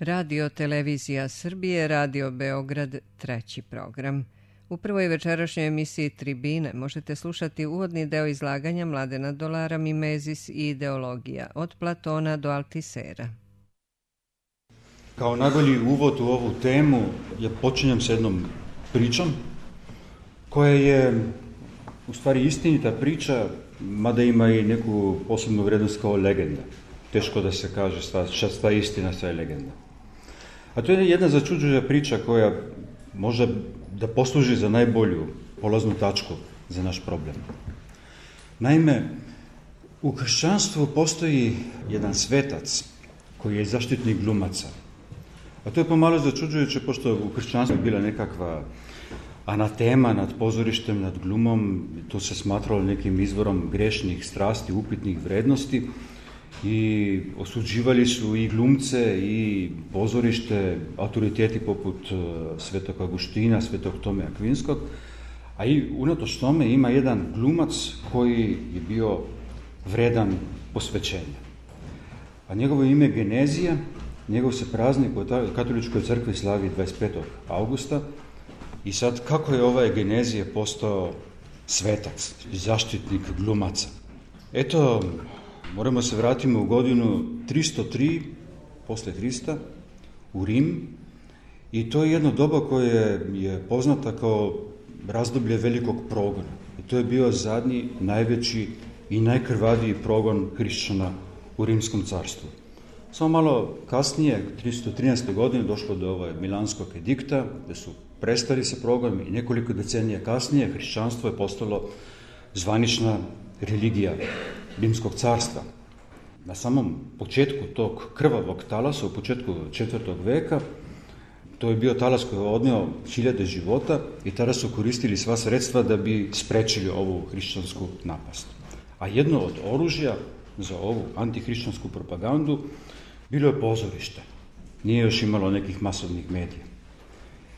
Radio Televizija Srbije, Radio Beograd, treći program. U prvoj večerašnjoj emisiji Tribine možete slušati uvodni deo izlaganja Mladena Dolara Mimezis i ideologija, od Platona do Altisera. Kao najbolji uvod u ovu temu ja počinjem s jednom pričom koja je u stvari istinita priča, mada ima i neku posebnu vrednost kao legenda. Teško da se kaže šta je istina, šta je legenda. A to je jedna začuđujuća priča koja može da posluži za najbolju polaznu tačku za naš problem. Naime, u kršćanstvu postoji jedan svetac koji je zaštitnik glumaca. A to je pomalo začuđujuće, pošto u kršćanstvu je bila nekakva anatema nad pozorištem, nad glumom. To se smatralo nekim izvorom grešnih strasti, upitnih vrednosti i osuđivali su i glumce i pozorište, autoriteti poput Svetog Augustina, Svetog Tome Akvinskog, a i unatoč tome ima jedan glumac koji je bio vredan posvećenja. A njegovo ime je Genezija, njegov se praznik u katoličkoj crkvi slavi 25. augusta i sad kako je ovaj Genezija postao svetac, zaštitnik glumaca? Eto, moramo se vratiti u godinu 303 posle Hrista u Rim i to je jedno doba koje je poznata kao razdoblje velikog progona. I to je bio zadnji, najveći i najkrvaviji progon hrišćana u Rimskom carstvu. Samo malo kasnije, 313. godine, došlo do Milanskog edikta, gde su prestali sa progonom i nekoliko decenija kasnije hrišćanstvo je postalo zvanična religija Rimskog carstva. Na samom početku tog krvavog talasa, u početku 4. veka, to je bio talas koji je odneo hiljade života i tada su koristili sva sredstva da bi sprečili ovu hrišćansku napast. A jedno od oružja za ovu antihrišćansku propagandu bilo je pozorište. Nije još imalo nekih masovnih medija.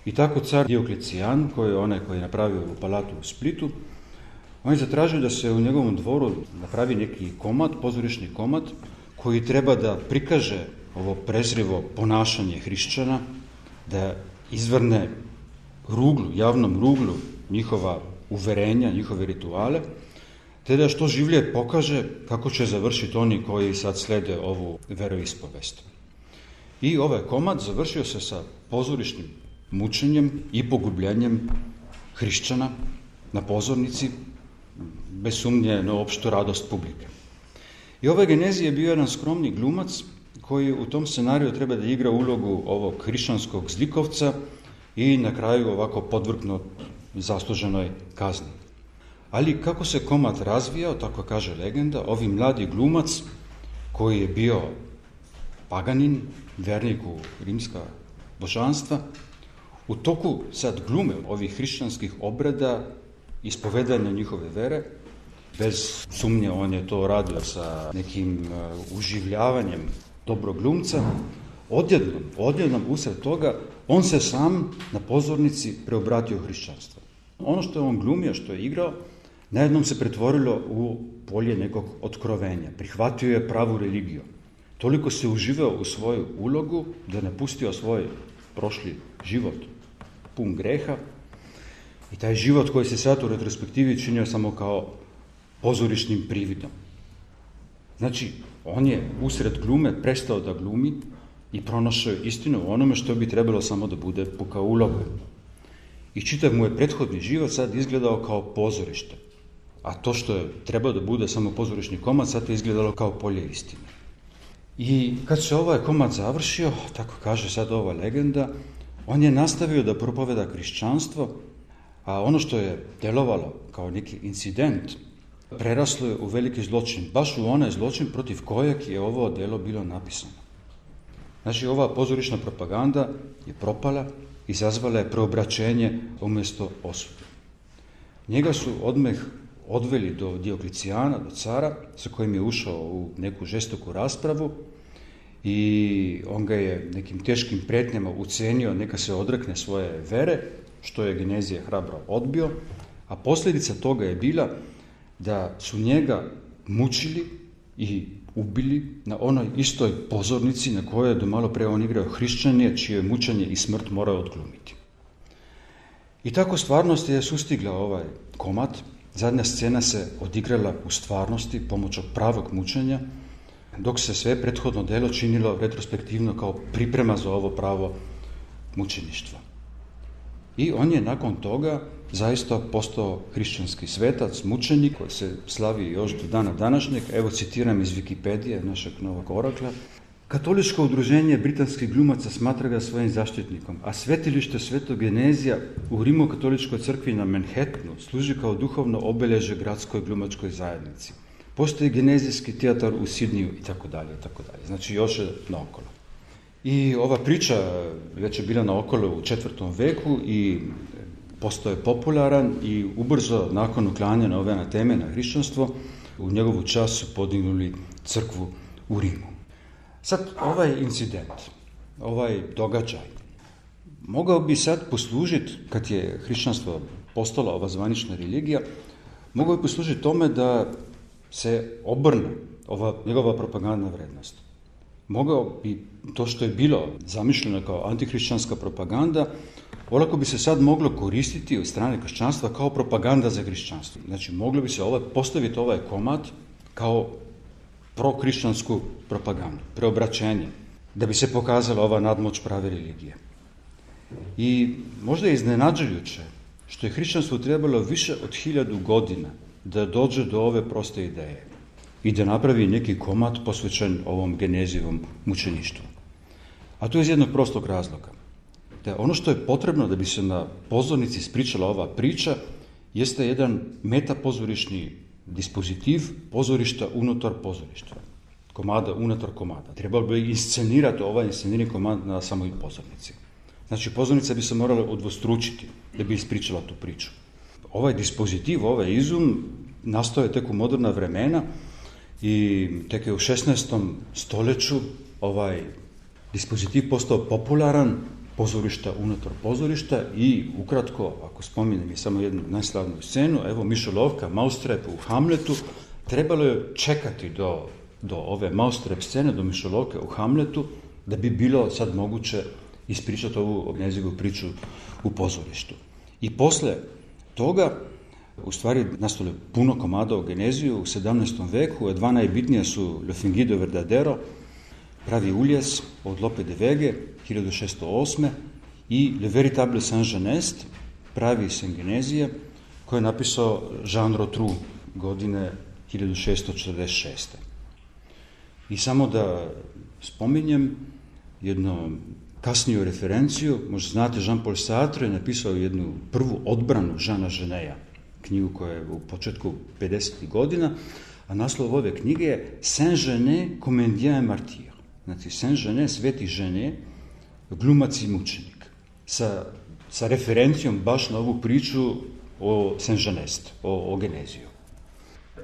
I tako car Dioklecijan, koji je onaj koji je napravio u palatu u Splitu, on je zatražio da se u njegovom dvoru napravi neki komad, pozorišni komad, koji treba da prikaže ovo prezrivo ponašanje hrišćana, da izvrne ruglu, javnom ruglu njihova uverenja, njihove rituale, te da što življe pokaže kako će završiti oni koji sad slede ovu veroispovest. I ovaj komad završio se sa pozorišnim mučenjem i pogubljenjem hrišćana na pozornici, bez sumnje na opštu radost publike. I ovaj Genezija je bio jedan skromni glumac koji u tom scenariju treba da igra ulogu ovog hrišćanskog zlikovca i na kraju ovako podvrgnut zasluženoj kazni. Ali kako se komad razvijao, tako kaže legenda, ovi mladi glumac koji je bio paganin, vernik u rimska božanstva, u toku sad glume ovih hrišćanskih obreda, ispovedanja njihove vere, bez sumnje on je to radio sa nekim uživljavanjem dobrog glumca, odjednom usred toga on se sam na pozornici preobratio hrišćanstvo. Ono što je on glumio, što je igrao, najednom se pretvorilo u polje nekog otkrovenja. Prihvatio je pravu religiju. Toliko se uživao u svoju ulogu da je napustio svoj prošli život pun greha i taj život koji se sad u retrospektivi činio samo kao pozorišnim prividom. Znači, on je usred glume prestao da glumi i pronašao istinu o onome što bi trebalo samo da bude puka uloga. I čitav mu je prethodni život sad izgledao kao pozorište. A to što je trebao da bude samo pozorišni komad, sad je izgledalo kao polje istine. I kad se ovaj komad završio, tako kaže sad ova legenda, on je nastavio da propoveda hrišćanstvo, a ono što je delovalo kao neki incident, preraslo je u veliki zločin, baš u onaj zločin protiv kojeg je ovo delo bilo napisano. Znači, ova pozorišna propaganda je propala, izazvala je preobraćenje umjesto osude. Njega su odmah odveli do Dioklecijana, do cara, sa kojim je ušao u neku žestoku raspravu i on ga je nekim teškim pretnjama ucenio neka se odrekne svoje vere, što je Genezija hrabro odbio, a posljedica toga je bila da su njega mučili i ubili na onoj istoj pozornici na kojoj je do malo pre on igrao hrišćanje, čije mučenje i smrt morao odglumiti. I tako stvarnost je sustigla ovaj komad. Zadnja scena se odigrala u stvarnosti pomoću pravog mučenja, dok se sve prethodno delo činilo retrospektivno kao priprema za ovo pravo mučeništva. I on je nakon toga zaista postao hrišćanski svetac, mučenik, koji se slavi još do dana današnjeg. Evo citiram iz Wikipedije, našeg novog orakla. Katoličko udruženje britanskih glumaca smatra ga svojim zaštitnikom, a svetilište Svetog Genezija u Rimokatoličkoj crkvi na Manhattanu služi kao duhovno obeležje gradskoj glumačkoj zajednici. Postoji genezijski teatar u Sidniju i tako dalje, itd. Znači još je naokolo. I ova priča već je bila naokolo u 4. veku i postao je popularan i ubrzo nakon uklanjanja ove anateme na hrišćanstvo u njegovu čast su podignuli crkvu u Rimu. Sad ovaj incident, ovaj događaj, mogao bi sad poslužiti, kad je hrišćanstvo postala ova zvanična religija, mogao bi poslužiti tome da se obrne ova njegova propagandna vrednost. Mogao bi to što je bilo zamišljeno kao antihrišćanska propaganda, olako bi se sad moglo koristiti od strane kršćanstva kao propaganda za hrišćanstvo. Znači, moglo bi se postaviti ovaj komad kao prohrišćansku propagandu, preobraćenje, da bi se pokazala ova nadmoć prave religije. I možda je iznenađujuće što je hrišćanstvu trebalo više od 1000 godina da dođe do ove proste ideje i da napravi neki komad posvećen ovom Genezijevom mučeništvu. A to je iz jednog prostog razloga. Da ono što je potrebno da bi se na pozornici ispričala ova priča jeste jedan metapozorišni dispozitiv pozorišta unutar pozorišta. Komada unutar komada. Trebalo bi inscenirati ovaj inscenirani komad na samoj pozornici. Znači, pozornica bi se morala udvostručiti da bi ispričala tu priču. Ovaj dispozitiv, ovaj izum nastao je tek u moderna vremena i tek je u 16. stoljeću ovaj dispozitiv postao popularan, pozorišta unutar pozorišta i ukratko, ako spominjem i samo jednu najslavniju scenu, evo Mišolovka, Maustrep u Hamletu, trebalo je čekati do ove Maustrep scene, do Mišolovke u Hamletu, da bi bilo sad moguće ispričati ovu Genezijevu priču u pozorištu. I posle toga, u stvari, nastalo je puno komada o Geneziju u 17. veku, a dva najbitnija su Le Fingido Verdadero, Pravi uljes od Lope de Vege, 1608. i Le Véritable Saint-Genest, Pravi sen Genezije, koje je napisao Jean Rotrou godine 1646. I samo da spominjem jednu kasniju referenciju, možda znate, Jean-Paul Sartre je napisao jednu prvu odbranu Jeana Geneja, knjigu koja je u početku 50. godina, a naslov ove knjige je Saint-Genet, Comédien et Martyr. Znači, Saint-Genet, sveti Genet, glumac i mučenik. Sa referencijom baš na ovu priču o Saint-Genest, o Geneziju.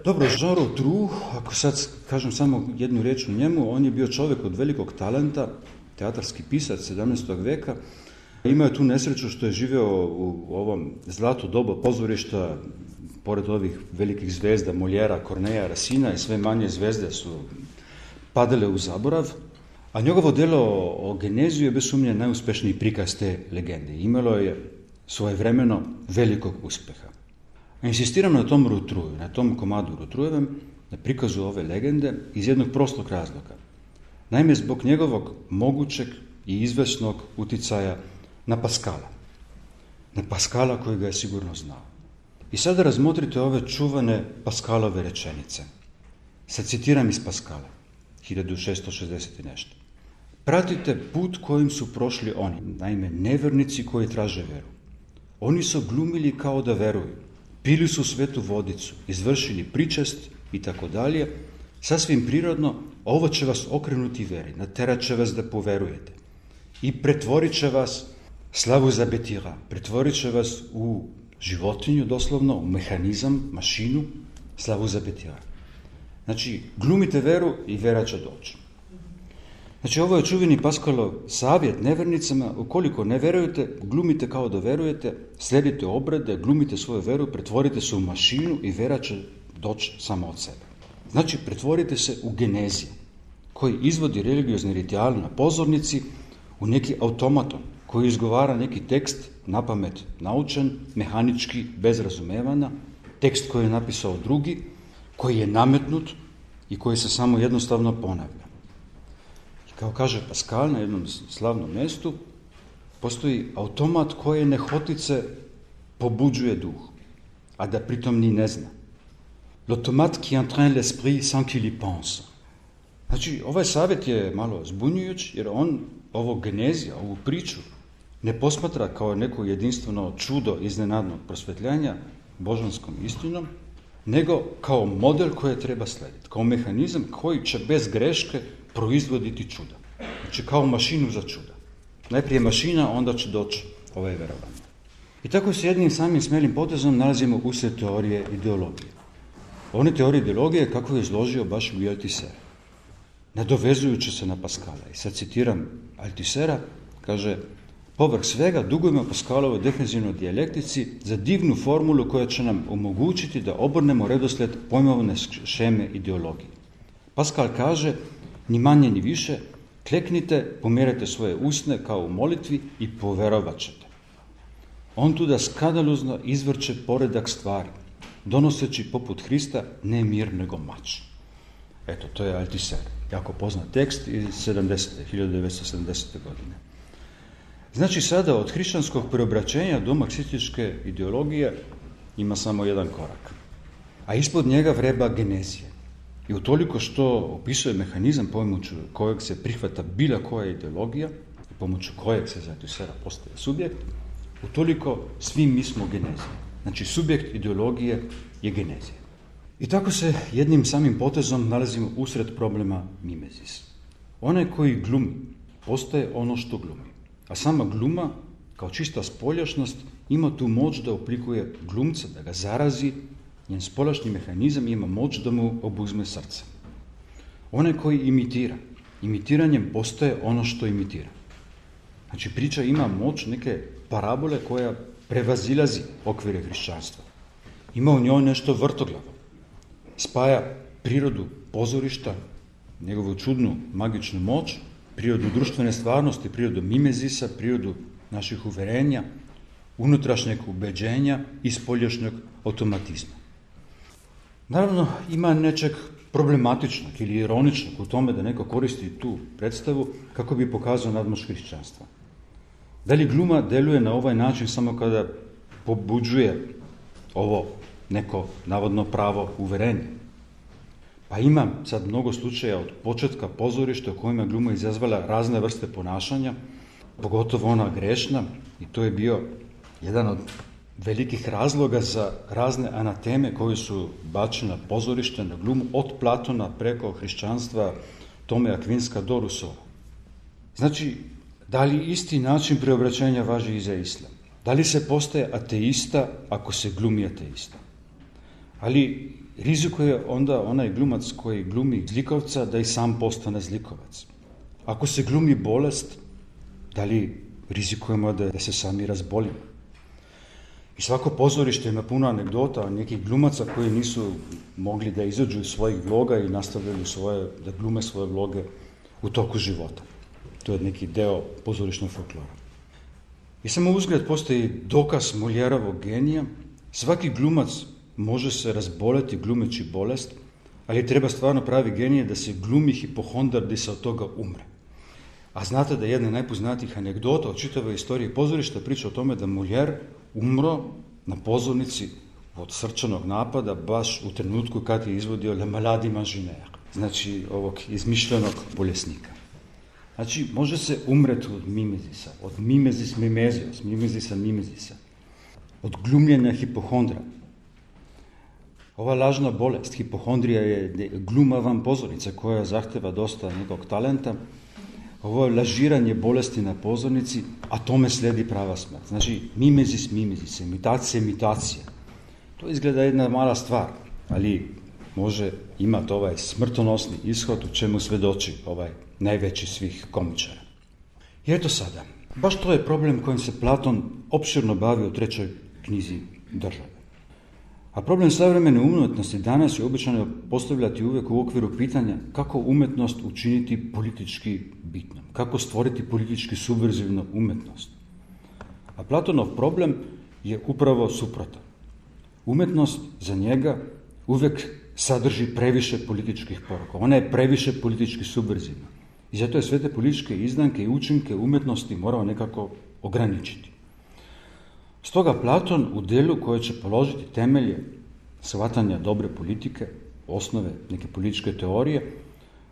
Dobro, Jean Rotrou, ako sad kažem samo jednu reč o njemu, on je bio čovjek od velikog talenta, teatarski pisac 17. veka. Imao je tu nesreću što je živeo u ovom zlato doba pozorišta, pored ovih velikih zvezda, Moljera, Korneja, Rasina i sve manje zvezde su padale u zaborav, a njegovo delo o Geneziju je bez sumnje najuspešniji prikaz te legende. Imalo je svojevremeno velikog uspeha. A insistiram na tom Rotrouju, na tom komadu Rotroujevem, na prikazu ove legende iz jednog prostog razloga. Naime, zbog njegovog mogućeg i izvesnog uticaja na Paskala. Na Paskala koji ga je sigurno znao. I sada razmotrite ove čuvane Paskalove rečenice. Sad citiram iz Paskala, 1660 i nešto. Pratite put kojim su prošli oni, naime nevernici koji traže veru. Oni su glumili kao da veruju, pili su svetu vodicu, izvršili pričest i tako dalje. Sasvim prirodno, ovo će vas okrenuti veri, naterat će vas da poverujete i pretvorit će vas, slavu za betira, pretvorit će vas u životinju doslovno, u mehanizam, mašinu, slavu za betira. Znači, glumite veru i vera će doći. Znači, ovo je čuveni Paskalov savjet nevernicama, ukoliko ne verujete, glumite kao da verujete, sledite obrede, glumite svoju veru, pretvorite se u mašinu i vera će doći samo od sebe. Znači, pretvorite se u Genezija, koji izvodi religiozni ritual na pozornici u neki automaton, koji izgovara neki tekst napamet naučen, mehanički, bez razumevanja, tekst koji je napisao drugi, koji je nametnut i koji se samo jednostavno ponavlja. I kao kaže Pascal na jednom slavnom mjestu, postoji automat koji nehotice pobuđuje duh, a da pritom ni ne zna. L'automate qui entraîne l'esprit sans qu'il y pense. Znači, ovaj savjet je malo zbunjujuć, jer on ovo Genezija, ovu priču, ne posmatra kao neko jedinstveno čudo iznenadnog prosvetljanja božanskom istinom, nego kao model koje treba slediti, kao mehanizam koji će bez greške proizvoditi čuda. Znači, kao mašinu za čuda. Najprije mašina, onda će doći ovaj verovanje. I tako se jednim samim smelim potezom nalazimo usred teorije ideologije. One teorije ideologije kako je izložio baš u Althusser, nadovezujući se na Pascala. I sad citiram Althusera, kaže: povrh svega dugujemo Pascalovoj defenzivnoj dijalektici za divnu formulu koja će nam omogućiti da obrnemo redoslijed pojmovne šeme ideologije. Pascal kaže, ni manje ni više, kleknite, pomjerajte svoje usne kao u molitvi i poverovat ćete. On tu da skandalozno izvrće poredak stvari, donoseći poput Hrista ne mir nego mač. Eto, to je Althusser, jako poznat tekst iz 1970. godine. Znači, sada od hrišćanskog preobraćenja do marksističke ideologije ima samo jedan korak. A ispod njega vreba Genezija. I utoliko što opisuje mehanizam pomoću kojeg se prihvata bila koja ideologija, pomoću kojeg se za Althusera postaje subjekt, utoliko svi mi smo Genezija. Znači, subjekt ideologije je Genezija. I tako se jednim samim potezom nalazimo usred problema mimezis. Onaj koji glumi postaje ono što glumi. A sama gluma, kao čista spoljašnost, ima tu moć da oblikuje glumca, da ga zarazi, njen spoljašnji mehanizam ima moć da mu obuzme srce. Onaj koji imitira, imitiranjem postaje ono što imitira. Znači, priča ima moć neke parabole koja prevazilazi okvire hrišćanstva. Ima u njoj nešto vrtoglavo. Spaja prirodu pozorišta, njegovu čudnu, magičnu moć, prirodu društvene stvarnosti, prirodu mimezisa, prirodu naših uverenja, unutrašnjeg ubeđenja i spoljašnjeg automatizma. Naravno, ima nečeg problematičnog ili ironičnog u tome da neko koristi tu predstavu kako bi pokazao nadmoć hrišćanstva. Da li gluma deluje na ovaj način samo kada pobuđuje ovo neko navodno pravo uverenje? Pa ima sad mnogo slučaja od početka pozorišta u kojima gluma izazvala razne vrste ponašanja, pogotovo ona grešna, i to je bio jedan od velikih razloga za razne anateme koje su bačene na pozorište, na glumu, od Platona preko hrišćanstva, Tome Akvinska do Rusova. Znači, da li isti način preobraćenja važi i za islam? Da li se postaje ateista ako se glumi ateista? Ali rizikuje onda onaj glumac koji glumi zlikovca da i sam postane zlikovac. Ako se glumi bolest, da li rizikujemo da se sami razbolimo? I svako pozorište ima puno anegdota nekih glumaca koji nisu mogli da izađu iz svojih vloga i nastavljaju da glume svoje vloge u toku života. To je neki deo pozorišnog folklora. I samo uzgled postoji dokaz Moljerovog genija. Svaki glumac može se razboleti glumeći bolest, ali treba stvarno pravi genije da se glumi hipohondar da se od toga umre. A znate da jedna najpoznatijih anegdota od čitave istorije pozorišta priča o tome da Molière umro na pozornici od srčanog napada baš u trenutku kad je izvodio Le Malade Imaginaire, znači ovog izmišljenog bolesnika. Znači, može se umreti od mimezisa, od mimezis mimezios, mimezisa, od glumljenja hipohondra. Ova lažna bolest, hipohondrija, je gluma van pozornice koja zahteva dosta nekog talenta. Ovo je lažiranje bolesti na pozornici, a tome slijedi prava smrt. Znači, mimezis, imitacija. To izgleda jedna mala stvar, ali može imati ovaj smrtonosni ishod u čemu svedoči ovaj najveći svih komičara. I eto sada, baš to je problem kojim se Platon opširno bavi u 3. knjizi Države. A problem savremene umjetnosti danas je običajno postavljati uvijek u okviru pitanja kako umjetnost učiniti politički bitnom, kako stvoriti politički subverzivnu umjetnost. A Platonov problem je upravo suprotan. Umjetnost za njega uvijek sadrži previše političkih poruka. Ona je previše politički subverzivna. I zato je sve te političke izdanke i učinke umjetnosti morao nekako ograničiti. Stoga Platon u djelu koje će položiti temelje shvatanja dobre politike, osnove neke političke teorije,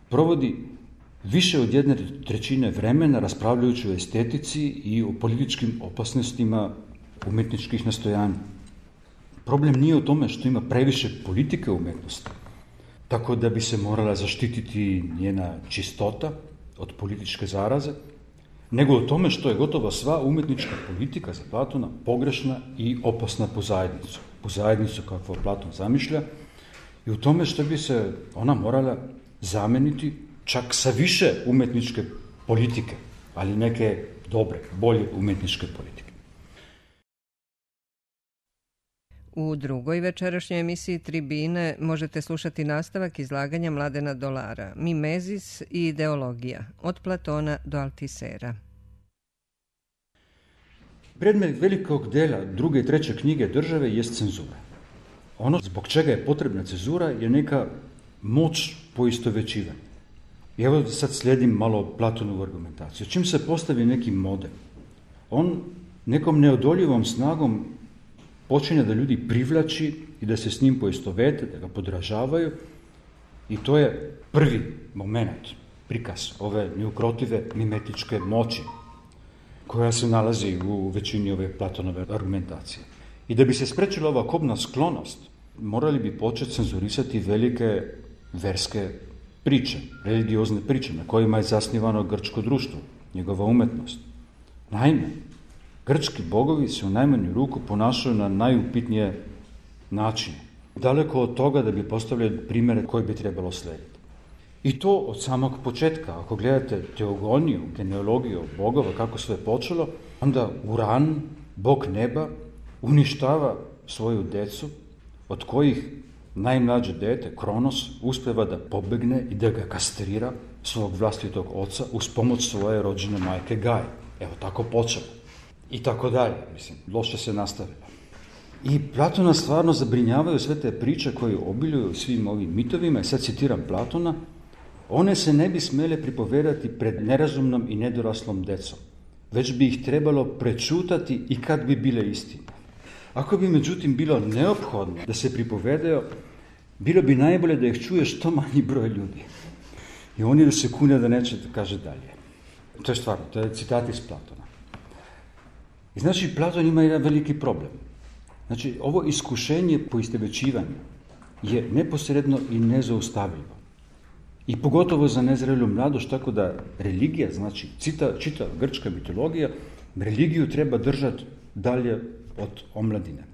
provodi više od 1/3 vremena raspravljajući o estetici i o političkim opasnostima umjetničkih nastojanja. Problem nije u tome što ima previše politike u umjetnosti, tako da bi se morala zaštititi njena čistota od političke zaraze, nego u tome što je gotovo sva umjetnička politika za Platona pogrešna i opasna po zajednicu kakvu Platon zamišlja, i u tome što bi se ona morala zameniti čak sa više umjetničke politike, ali neke dobre, bolje umjetničke politike. U drugoj večerašnjoj emisiji Tribine možete slušati nastavak izlaganja Mladena Dolara, Mimezis i ideologija, od Platona do Altisera. Predmet velikog dela druge i treće knjige države jest cenzura. Ono zbog čega je potrebna cenzura je neka moć poistovjećivanja. I evo sad slijedim malo Platonovu argumentaciju. Čim se postavi neki model, on nekom neodoljivom snagom počinje da ljudi privlači i da se s njim poistovete, da ga podražavaju, i to je prvi moment, prikaz ove neukrotive mimetičke moći koja se nalazi u većini ove Platonove argumentacije. I da bi se spriječila ova kobna sklonost, morali bi početi cenzurisati velike verske priče, religiozne priče na kojima je zasnivano grčko društvo, njegova umjetnost. Naime, grčki bogovi se u najmanju ruku ponašaju na najupitnije načine, daleko od toga da bi postavljali primjere koje bi trebalo slijediti. I to od samog početka. Ako gledate teogoniju, genealogiju bogova, kako sve je počelo, onda Uran, bog neba, uništava svoju decu, od kojih najmlađe dete, Kronos, uspjeva da pobegne i da ga kastrira svog vlastitog oca uz pomoć svoje rođene majke Gaje. Evo, tako počelo. I tako dalje, mislim, loše se nastavilo. I Platona stvarno zabrinjavaju sve te priče koje obiljuju svim ovim mitovima, i sad citiram Platona: one se ne bi smjele pripovedati pred nerazumnom i nedoraslom decom, već bi ih trebalo prečutati i kad bi bile istine. Ako bi međutim bilo neophodno da se pripovedaju, bilo bi najbolje da ih čuje što manji broj ljudi. I oni da se kune da neće da kaže dalje. To je stvarno, to je citat iz Platona. I znači, Platon ima jedan veliki problem. Znači, ovo iskušenje poistovjećivanja je neposredno i nezaustavljivo. I pogotovo za nezrelu mladost, tako da religija, znači čita grčka mitologija, religiju treba držati dalje od omladine.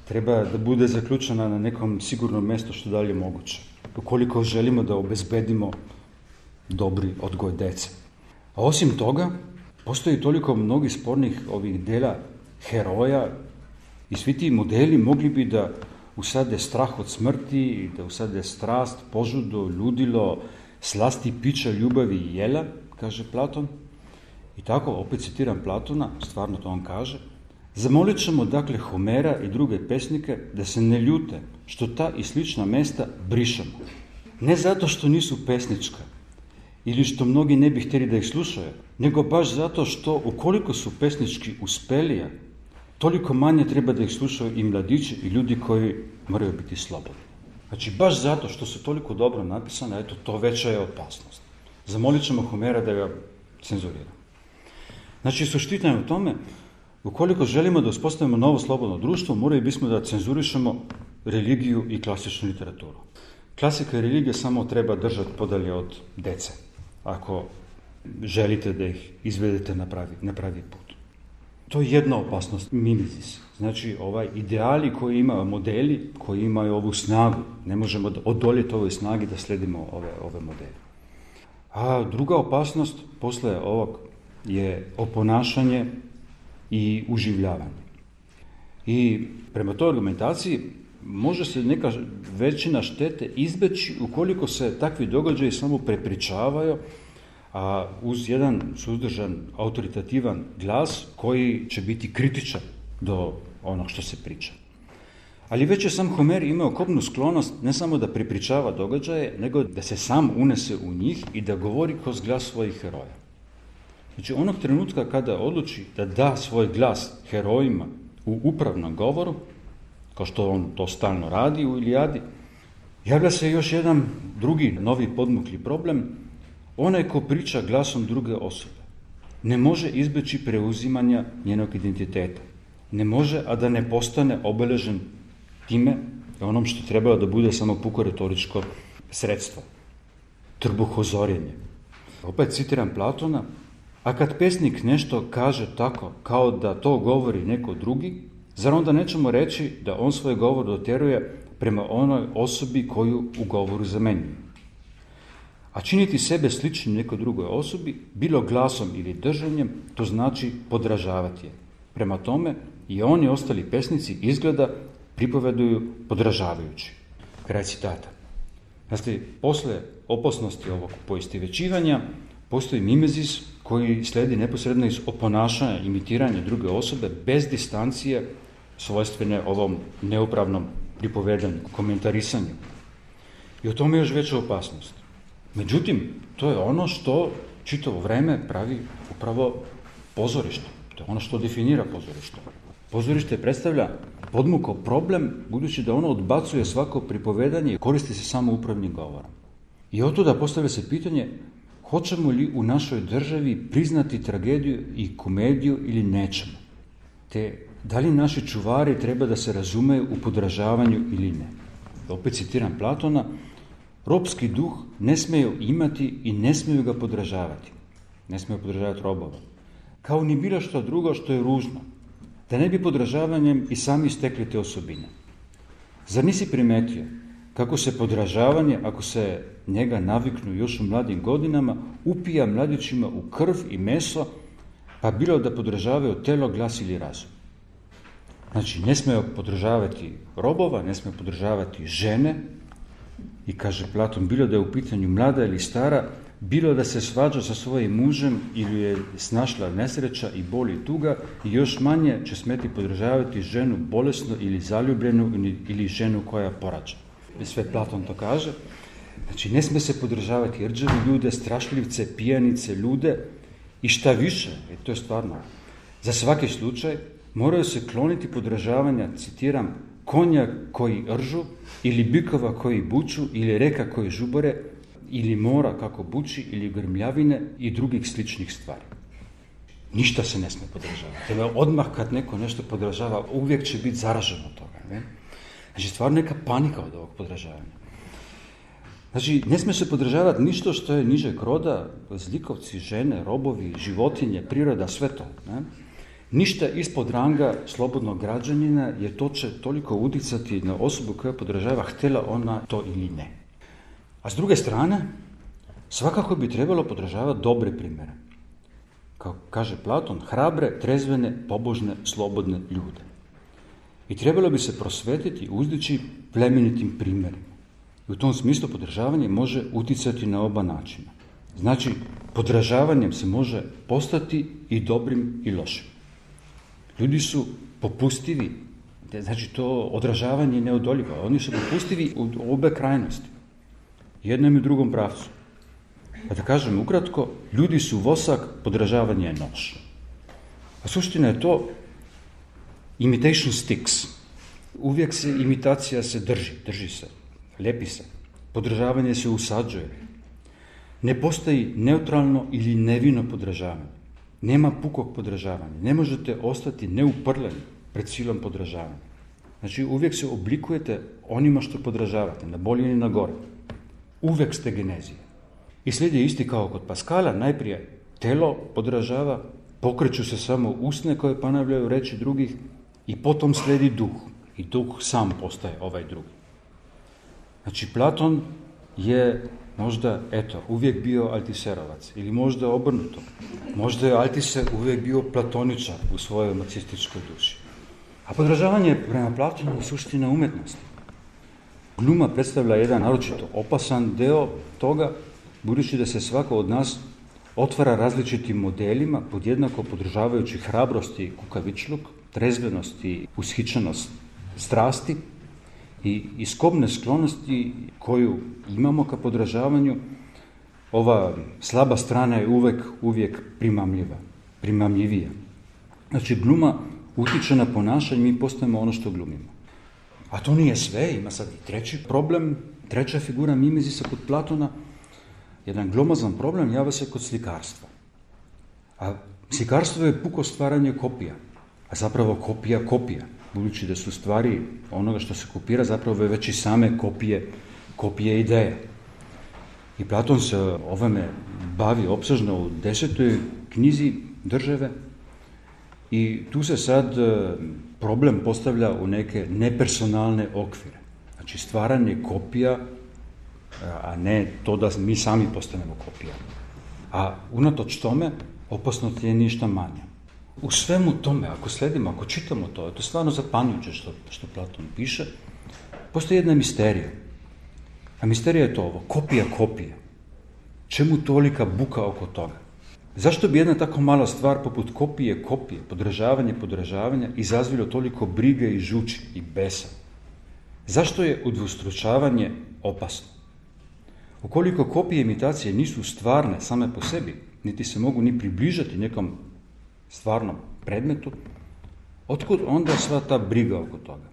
Treba da bude zaključena na nekom sigurnom mjestu što dalje moguće, ukoliko želimo da obezbedimo dobri odgoj dece. A osim toga, postoji toliko mnogih spornih ovih dela heroja i svi ti modeli mogli bi da usade strah od smrti, da usade strast, požudu, ludilo, slasti pića, ljubavi i jela, kaže Platon. I tako, opet citiram Platona, stvarno to on kaže: zamolit ćemo dakle Homera i druge pesnike da se ne ljute što ta i slična mesta brišemo. Ne zato što nisu pesnička ili što mnogi ne bi htjeli da ih slušaju, nego baš zato što ukoliko su pesnički uspelija, toliko manje treba da ih slušaju i mladići i ljudi koji moraju biti slobodni. Znači, baš zato što su toliko dobro napisane, eto, to veća je opasnost. Zamolit ćemo Homera da ga cenzurira. Znači, suština je u tome, ukoliko želimo da uspostavimo novo slobodno društvo, morali bismo da cenzurišemo religiju i klasičnu literaturu. Klasika i religija samo treba držati podalje od dece, ako želite da ih izvedete na pravi put. To je jedna opasnost, mimezis. Znači, ideali koji imaju, modeli koji imaju ovu snagu, ne možemo odoljeti ovoj snagi da sledimo ove modele. A druga opasnost posle ovog je oponašanje i uživljavanje. I prema toj argumentaciji može se neka većina štete izbeći ukoliko se takvi događaji samo prepričavaju, a uz jedan suzdržan, autoritativan glas koji će biti kritičan do onog što se priča. Ali već je sam Homer imao kobnu sklonost ne samo da prepričava događaje, nego da se sam unese u njih i da govori kroz glas svojih heroja. Znači, onog trenutka kada odluči da da svoj glas herojima u upravnom govoru, kao što on to stalno radi u Ilijadi, javlja se još jedan drugi novi podmukli problem. Onaj ko priča glasom druge osobe ne može izbeći preuzimanja njenog identiteta. Ne može, a da ne postane obeležen time onom što trebalo da bude samo puko retoričko sredstvo. Trbuhozorjenje. Opet citiram Platona, a kad pesnik nešto kaže tako kao da to govori neko drugi, zar onda nećemo reći da on svoj govor doteruje prema onoj osobi koju u govoru zamenjuje? A činiti sebe sličnim nekoj drugoj osobi, bilo glasom ili držanjem, to znači podražavati je. Prema tome, i oni ostali pesnici izgleda pripoveduju podražavajući. Kraj citata. Znači, posle opasnosti ovog poistovjećivanja postoji mimezis koji sledi neposredno iz oponašanja, imitiranja druge osobe bez distancije svojstvene ovom neupravnom pripovedanju, komentarisanju. I o tome je još veća opasnost. Međutim, to je ono što čitavo vreme pravi upravo pozorište. To je ono što definira pozorište. Pozorište predstavlja podmukao problem, budući da ono odbacuje svako pripovedanje i koristi se samo upravnim govorom. I otuda postavlja se pitanje, hoćemo li u našoj državi priznati tragediju i komediju ili nećemo? Te da li naši čuvari treba da se razumeju u podražavanju ili ne? Opet citiram Platona, robski duh ne smeju imati i ne smeju ga podražavati. Ne smeju podražavati robova. Kao ni bilo što drugo što je ružno. Da ne bi podražavanjem i sami stekli te osobine. Zar nisi primetio kako se podražavanje, ako se njega naviknu još u mladim godinama, upija mladićima u krv i meso, pa bilo da podražavaju telo, glas ili razum. Znači, ne smiju podražavati robova, ne smiju podražavati žene, i kaže Platon, bilo da je u pitanju mlada ili stara, bilo da se svađa sa svojim mužem ili je snašla nesreća i bol i tuga, i još manje će smeti podražavati ženu bolesnu ili zaljubljenu ili ženu koja porađa. Sve Platon to kaže. Znači, ne sme se podržavati rđavi ljude, strašljivce, pijanice, ljude i šta više, to je stvarno, za svaki slučaj moraju se kloniti podražavanja, citiram, konja koji ržu ili bikova koji buču ili reka koji žubore ili mora kako buči ili grmljavine i drugih sličnih stvari. Ništa se ne sme podražavati. Odmah kad neko nešto podražava, uvijek će biti zaražen od toga. Ne? Znači, stvarno neka panika od ovog podražavanja. Znači, ne sme se podražavati ništa što je nižeg roda, zlikovci, žene, robovi, životinje, priroda, sve to. Ne? Ništa ispod ranga slobodnog građanina, jer to će toliko uticati na osobu koja podražava, htjela ona to ili ne. A s druge strane, svakako bi trebalo podražavati dobre primjere. Kao kaže Platon, hrabre, trezvene, pobožne, slobodne ljude. I trebalo bi se prosvetiti, uzdići plemenitim primjerima. I u tom smislu podražavanje može uticati na oba načina. Znači, podražavanjem se može postati i dobrim i lošim. Ljudi su popustivi, znači to odražavanje je neodoljivo. Oni su popustivi u obe krajnosti, jednom i drugom pravcu. Pa da kažem ukratko, ljudi su vosak, podražavanje je nož. A suština je to, imitation sticks. Uvijek se imitacija se drži se, lepi se. Podražavanje se usađuje. Ne postoji neutralno ili nevino podražavanje. Nema pukog podražavanja. Ne možete ostati neuprljeni pred silom podražavanja. Znači, uvijek se oblikujete onima što podražavate, na bolje ili na gore. Uvijek ste genezija. I slijedi isti kao kod Paskala, najprije telo podražava, pokreću se samo usne koje ponavljaju reči drugih i potom slijedi duh. I duh sam postaje ovaj drugi. Znači, Platon je možda, uvijek bio Altiserovac, ili možda obrnuto. Možda je Altiser uvijek bio platoničar u svojoj marksističkoj duši. A podražavanje prema Platonu je suština umetnosti. gluma predstavlja jedan naročito opasan deo toga, budući da se svako od nas otvara različitim modelima, podjednako podržavajući hrabrost i kukavičluk, trezvenost i ushićenost strasti i iskobne sklonosti koju imamo ka podražavanju. Ova slaba strana je uvijek primamljivija. Znači, gluma utiče na ponašanje, mi postajemo ono što glumimo. A to nije sve, ima sad i treći problem, treća figura mimezisa kod Platona. Jedan glomazan problem javlja se kod slikarstva. A slikarstvo je puko stvaranje kopija, a zapravo kopija, budući da su stvari onoga što se kopira zapravo već i same kopije ideje. I Platon se ovome bavi opsežno u 10. knjizi Države i tu se sad problem postavlja u neke nepersonalne okvire. Znači stvaranje kopija, a ne to da mi sami postanemo kopija. A unatoč tome, opasnost je ništa manja. U svemu tome, ako sledimo, ako čitamo to, je to stvarno zapanjujuće što Platon piše, postoji jedna misterija. A misterija je to ovo, kopija. Čemu tolika buka oko toga? Zašto bi jedna tako mala stvar poput kopije, podržavanja izazvilo toliko brige i žuči i besa? Zašto je udvostručavanje opasno? Ukoliko kopije imitacije nisu stvarne same po sebi, niti se mogu ni približati nekom stvarnom predmetu, otkud onda sva ta briga oko toga?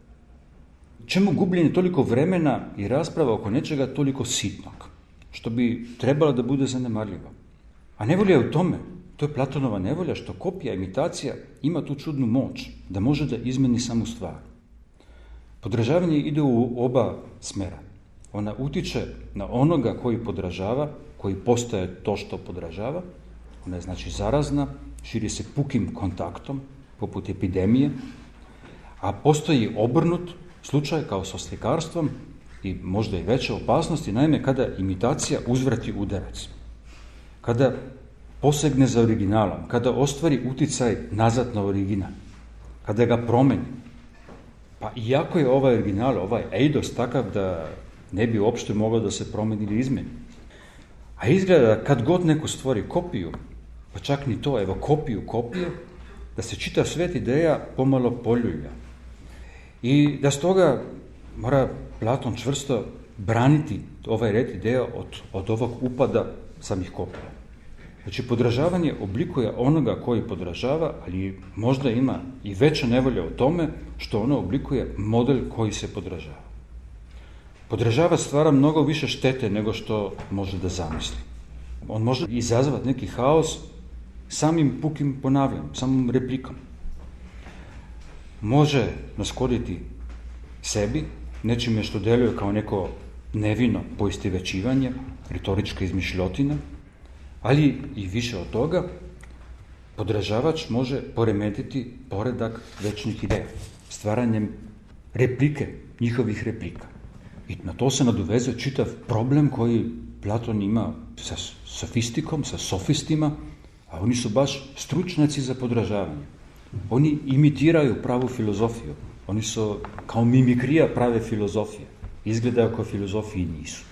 Čemu gubljenje toliko vremena i rasprava oko nečega toliko sitnog, što bi trebalo da bude zanemarljivo? A nevolja je u tome, to je Platonova nevolja, što kopija, imitacija ima tu čudnu moć, da može da izmeni samu stvar. Podražavanje ide u oba smera. Ona utiče na onoga koji podražava, koji postaje to što podražava. Ona je znači zarazna, širi se pukim kontaktom, poput epidemije, a postoji obrnut slučaj kao sa slikarstvom i možda i veće opasnosti, naime kada imitacija uzvrati udarac, kada posegne za originalom, kada ostvari uticaj nazad na original, kada ga promeni. Pa iako je ovaj original, ovaj eidos takav da ne bi uopšte mogao da se promeni ili izmeni. A izgleda kad god neko stvori kopiju, pa čak ni to, evo kopiju, da se čitav svet ideja pomalo poljulja. I da stoga mora Platon čvrsto braniti ovaj red ideja od ovog upada samih kopija. Znači, podražavanje oblikuje onoga koji podražava, ali možda ima i veća nevolja u tome što ono oblikuje model koji se podražava. Podražavač stvara mnogo više štete nego što može da zamisli. On može izazvati neki haos samim pukim ponavljanjem, samom replikom. Može naškoditi sebi, nečime što deluje kao neko nevino poistovećivanje, retorička izmišljotina, ali i više od toga, podražavač može poremetiti poredak večnih ideja, stvaranjem njihovih replika. I na to se nadovezuje čitav problem koji Platon ima sa sofistikom, sa sofistima, a oni su baš stručnjaci za podražavanje. Oni imitiraju pravu filozofiju. Oni su kao mimikrija prave filozofije. Izgledaju kao filozofiji nisu.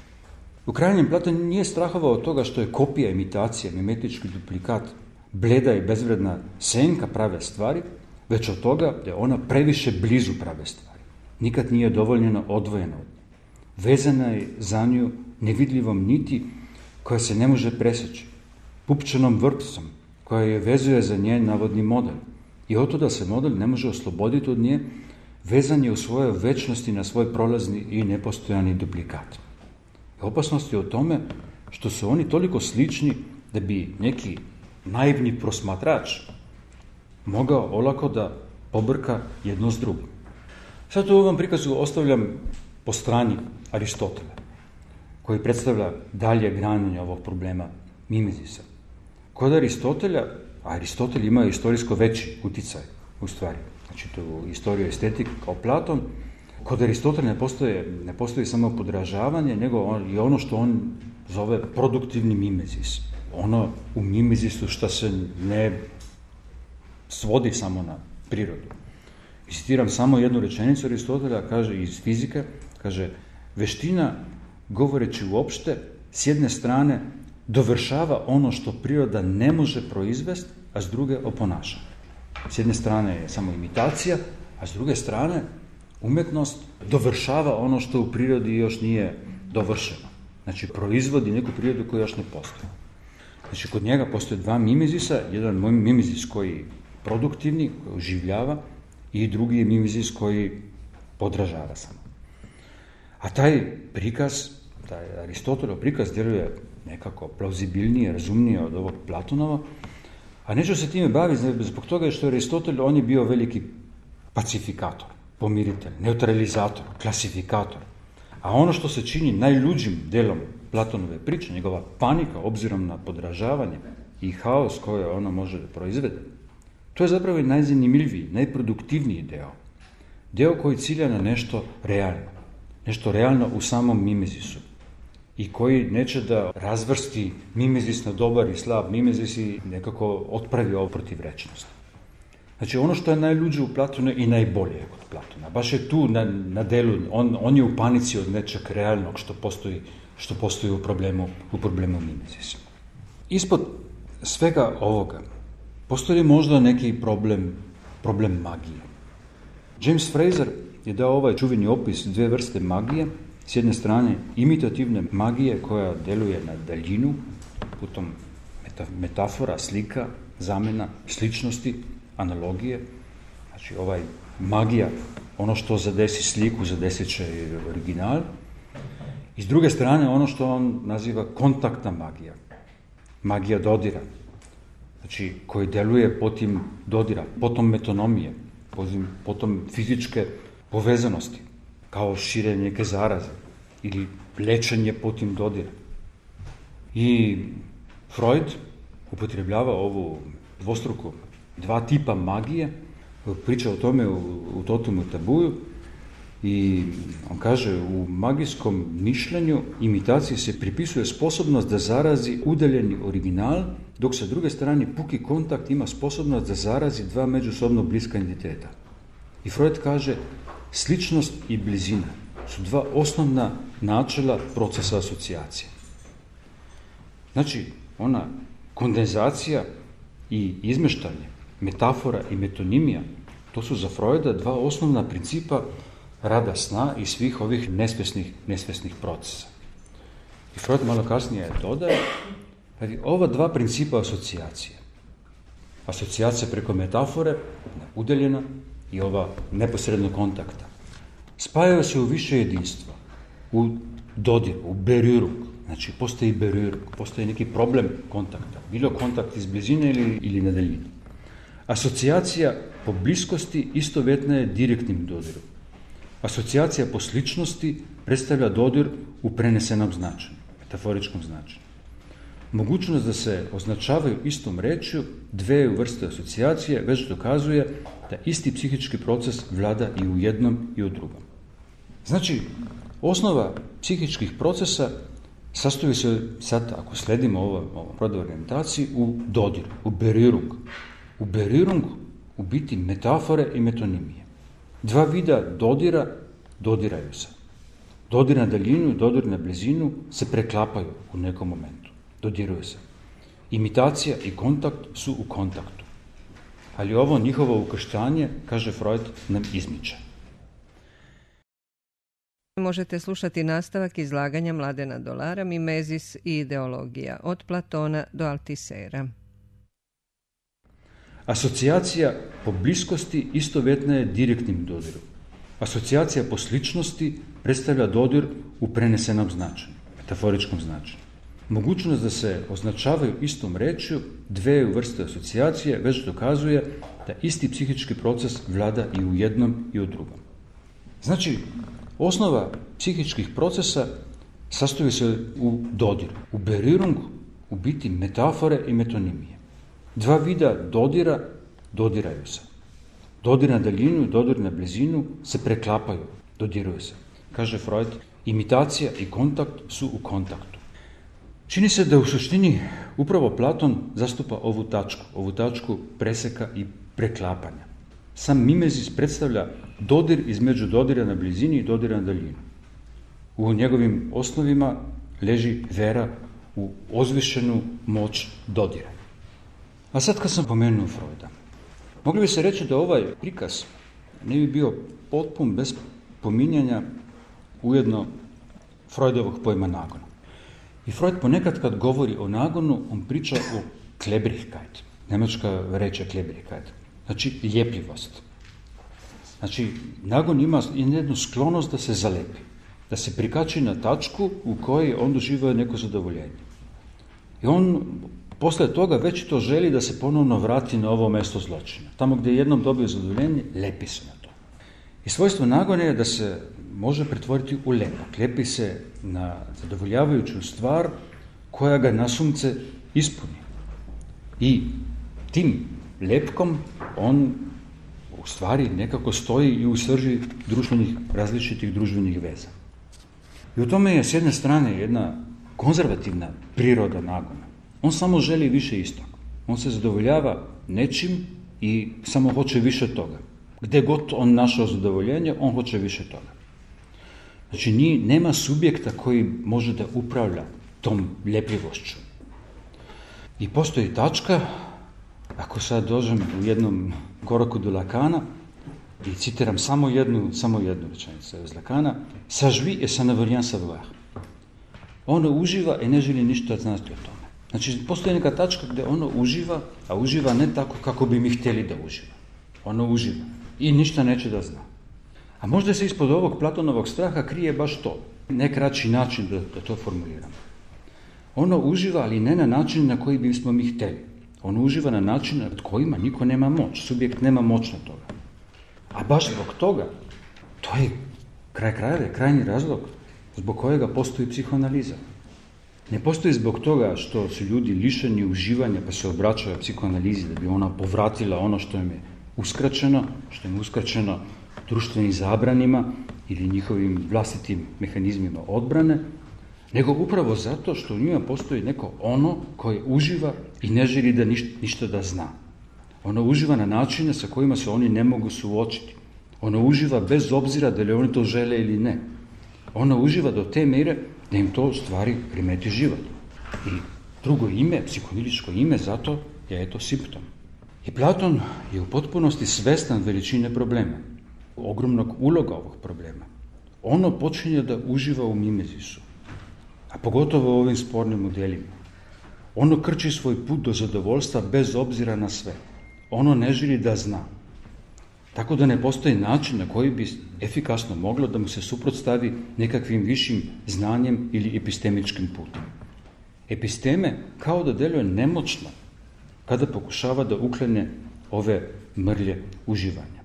U krajnjem Platon nije strahovao od toga što je kopija, imitacija, mimetički duplikat, bleda i bezvredna senka prave stvari, već od toga da je ona previše blizu prave stvari. Nikad nije dovoljno odvojena od nje. Vezana je za nju nevidljivom niti koja se ne može preseći, pupčanom vrpcom koja je vezuje za njen navodni model. I od toga se model ne može osloboditi od nje, vezan je u svojoj večnosti na svoj prolazni i nepostojani duplikat. Opasnost je u tome što su oni toliko slični da bi neki naivni prosmatrač mogao olako da pobrka jedno s drugim. Sad u ovom prikazu ostavljam po strani Aristotela, koji predstavlja dalje granjenje ovog problema mimezisa. Kod Aristotelja, a Aristotel ima istorijsko veći uticaj u stvari, znači to u istoriju estetike kao Platon, kod Aristotelja ne postoji samo podražavanje, nego i ono što on zove produktivni mimezis. Ono u mimezisu što se ne svodi samo na prirodu. I citiram samo jednu rečenicu Aristotelja, kaže iz fizike, kaže Veština, govoreći uopšte, s jedne strane dovršava ono što priroda ne može proizvesti, a s druge oponaša. S jedne strane je samo imitacija, a s druge strane umjetnost dovršava ono što u prirodi još nije dovršeno. Znači, proizvodi neku prirodu koja još ne postoji. Znači, kod njega postoje dva mimezisa, jedan mimezis koji je produktivni, koji oživljava, i drugi je mimezis koji podražava samo. A taj prikaz, taj Aristotelov prikaz djeluje nekako plauzibilnije, razumnije od ovog Platonova, a neću se time baviti zbog toga što je Aristotel, on je bio veliki pacifikator, pomiritelj, neutralizator, klasifikator. A ono što se čini najluđim delom Platonove priče, njegova panika obzirom na podražavanje i haos koje ono može da proizvede, to je zapravo i najzanimljiviji, najproduktivniji deo. Deo koji cilja na nešto realno u samom mimezisu i koji neće da razvrsti mimezis na dobar i slab mimezis i nekako otpravi ovo protivrečnost. Znači, ono što je najluđe u Platonu i najbolje kod Platona. Baš je tu na delu, on je u panici od nečeg realnog što postoji u problemu mimezisa. Ispod svega ovoga postoji možda neki problem magije. James Frazer je dao ovaj čuveni opis dvije vrste magije. S jedne strane imitativne magije koja deluje na daljinu, putom metafora, slika, zamena, sličnosti, analogije. Znači, magija, ono što zadesi sliku, zadesit će original. I s druge strane, ono što on naziva kontaktna magija. Magija dodira. Znači, koji deluje potim dodira, potom metonomije, potom fizičke povezanosti, kao širenje neke zaraze ili lečenje potim dodira. I Freud upotrebljava ovu dvostruku dva tipa magije, priča o tome u Totumu i Tabuju, i on kaže, u magijskom mišljenju imitaciji se pripisuje sposobnost da zarazi udaljeni original, dok sa druge strane puki kontakt ima sposobnost da zarazi dva međusobno bliska entiteta. I Freud kaže, sličnost i blizina su dva osnovna načela procesa asocijacije. Znači, ona kondenzacija i izmeštanje, metafora i metonimija, to su za Freuda dva osnovna principa rada sna i svih ovih nesvesnih procesa. I Freud malo kasnije dodaje, ova dva principa asocijacija preko metafore, udaljena, i ova neposredno kontakta, spajaju se u više jedinstva, u dodiru, u berührung. Znači, postoji berührung, postoji neki problem kontakta, bilo kontakt iz blizine ili na daljinu. Asocijacija po bliskosti istovjetna je direktnim dodirom. Asocijacija po sličnosti predstavlja dodir u prenesenom značenju, metaforičkom značenju. Mogućnost da se označavaju istom rečju dve vrste asocijacije već dokazuje da isti psihički proces vlada i u jednom i u drugom. Znači, osnova psihičkih procesa sastoji se, sad ako sledimo ovo Freudovoj orijentaciji, u dodiru, u berührung. U berührung u biti metafore i metonimije. Dva vida dodiraju se. Dodir na daljinu i dodir na blizinu se preklapaju u nekom momentu. Dodiruju se. Imitacija i kontakt su u kontaktu. Ali ovo njihovo ukrštanje, kaže Freud, nam izmiče. Možete slušati nastavak izlaganja Mladena Dolara, Mimezis i ideologija, od Platona do Altisera. Asocijacija po bliskosti istovjetna je direktnim dodirom. Asocijacija po sličnosti predstavlja dodir u prenesenom značenju, metaforičkom značenju. Mogućnost da se označavaju istom rečju dve vrste asocijacije već dokazuje da isti psihički proces vlada i u jednom i u drugom. Znači, osnova psihičkih procesa sastoji se u dodiru, u berührung, u biti metafore i metonimije. Dva vida dodiraju se. Dodir na daljinu i dodir na blizinu se preklapaju, dodiruju se. Kaže Freud, imitacija i kontakt su u kontaktu. Čini se da u suštini upravo Platon zastupa ovu tačku preseka i preklapanja. Sam mimezis predstavlja dodir između dodira na blizini i dodira na daljinu. U njegovim osnovima leži vera u ozvišenu moć dodira. A sad kad sam pomenuo Freuda, mogli bi se reći da ovaj prikaz ne bi bio potpun bez pominjanja ujedno Freudovog pojma nagona. I Freud ponekad kad govori o nagonu, on priča o Klebrigkeit. Njemačka reč je Klebrigkeit. Znači ljepljivost. Znači, nagon ima jednu sklonost da se zalepi, da se prikači na tačku u kojoj on doživio neko zadovoljenje. I on posle toga već to želi da se ponovno vrati na ovo mesto zločina. Tamo gdje je jednom dobio zadovoljenje, lepi se na to. I svojstvo nagona je da se može pretvoriti u lepak. Lepi se na zadovoljavajuću stvar koja ga nasumce ispuni. I tim lepkom on u stvari nekako stoji i u srži različitih društvenih veza. I u tome je s jedne strane jedna konzervativna priroda nagona. On samo želi više istog. On se zadovoljava nečim i samo hoće više toga. Gde god on našao zadovoljenje, on hoće više toga. Znači, nema subjekta koji može da upravlja tom ljepljivošću. I postoji tačka, ako sad dođem u jednom koraku do Lacana i citiram samo jednu rečenicu iz Lacana, sažvi et ça ne veut rien savoir. Ono uživa i ne želi ništa znati o tome. Znači, postoji neka tačka gdje ono uživa, a uživa ne tako kako bi mi htjeli da uživa. Ono uživa i ništa neće da zna. A možda se ispod ovog Platonovog straha krije baš to, ne kraći način da to formuliramo. Ono uživa, ali ne na način na koji bismo mi htjeli. Ono uživa na način nad kojima niko nema moć, subjekt nema moć na toga. A baš zbog toga, to je krajnji razlog zbog kojega postoji psihoanaliza. Ne postoji zbog toga što su ljudi lišeni uživanja pa se obraćaju psihoanalizi da bi ona povratila ono što im je uskraćeno društvenim zabranima ili njihovim vlastitim mehanizmima odbrane, nego upravo zato što u njima postoji neko ono koje uživa i ne želi da ništa da zna. Ono uživa na načine sa kojima se oni ne mogu suočiti. Ono uživa bez obzira da li oni to žele ili ne. Ono uživa do te mere da im to u stvari remeti život. I drugo ime, psihoanalitičko ime, zato je to simptom. I Platon je u potpunosti svestan veličine problema, ogromnog uloga ovog problema. Ono počinje da uživa u mimezisu, a pogotovo u ovim spornim modelima. Ono krči svoj put do zadovoljstva bez obzira na sve. Ono ne želi da zna. Tako da ne postoji način na koji bi efikasno moglo da mu se suprotstavi nekakvim višim znanjem ili epistemičkim putem. Episteme kao da deluje nemoćno kada pokušava da uklene ove mrlje uživanja.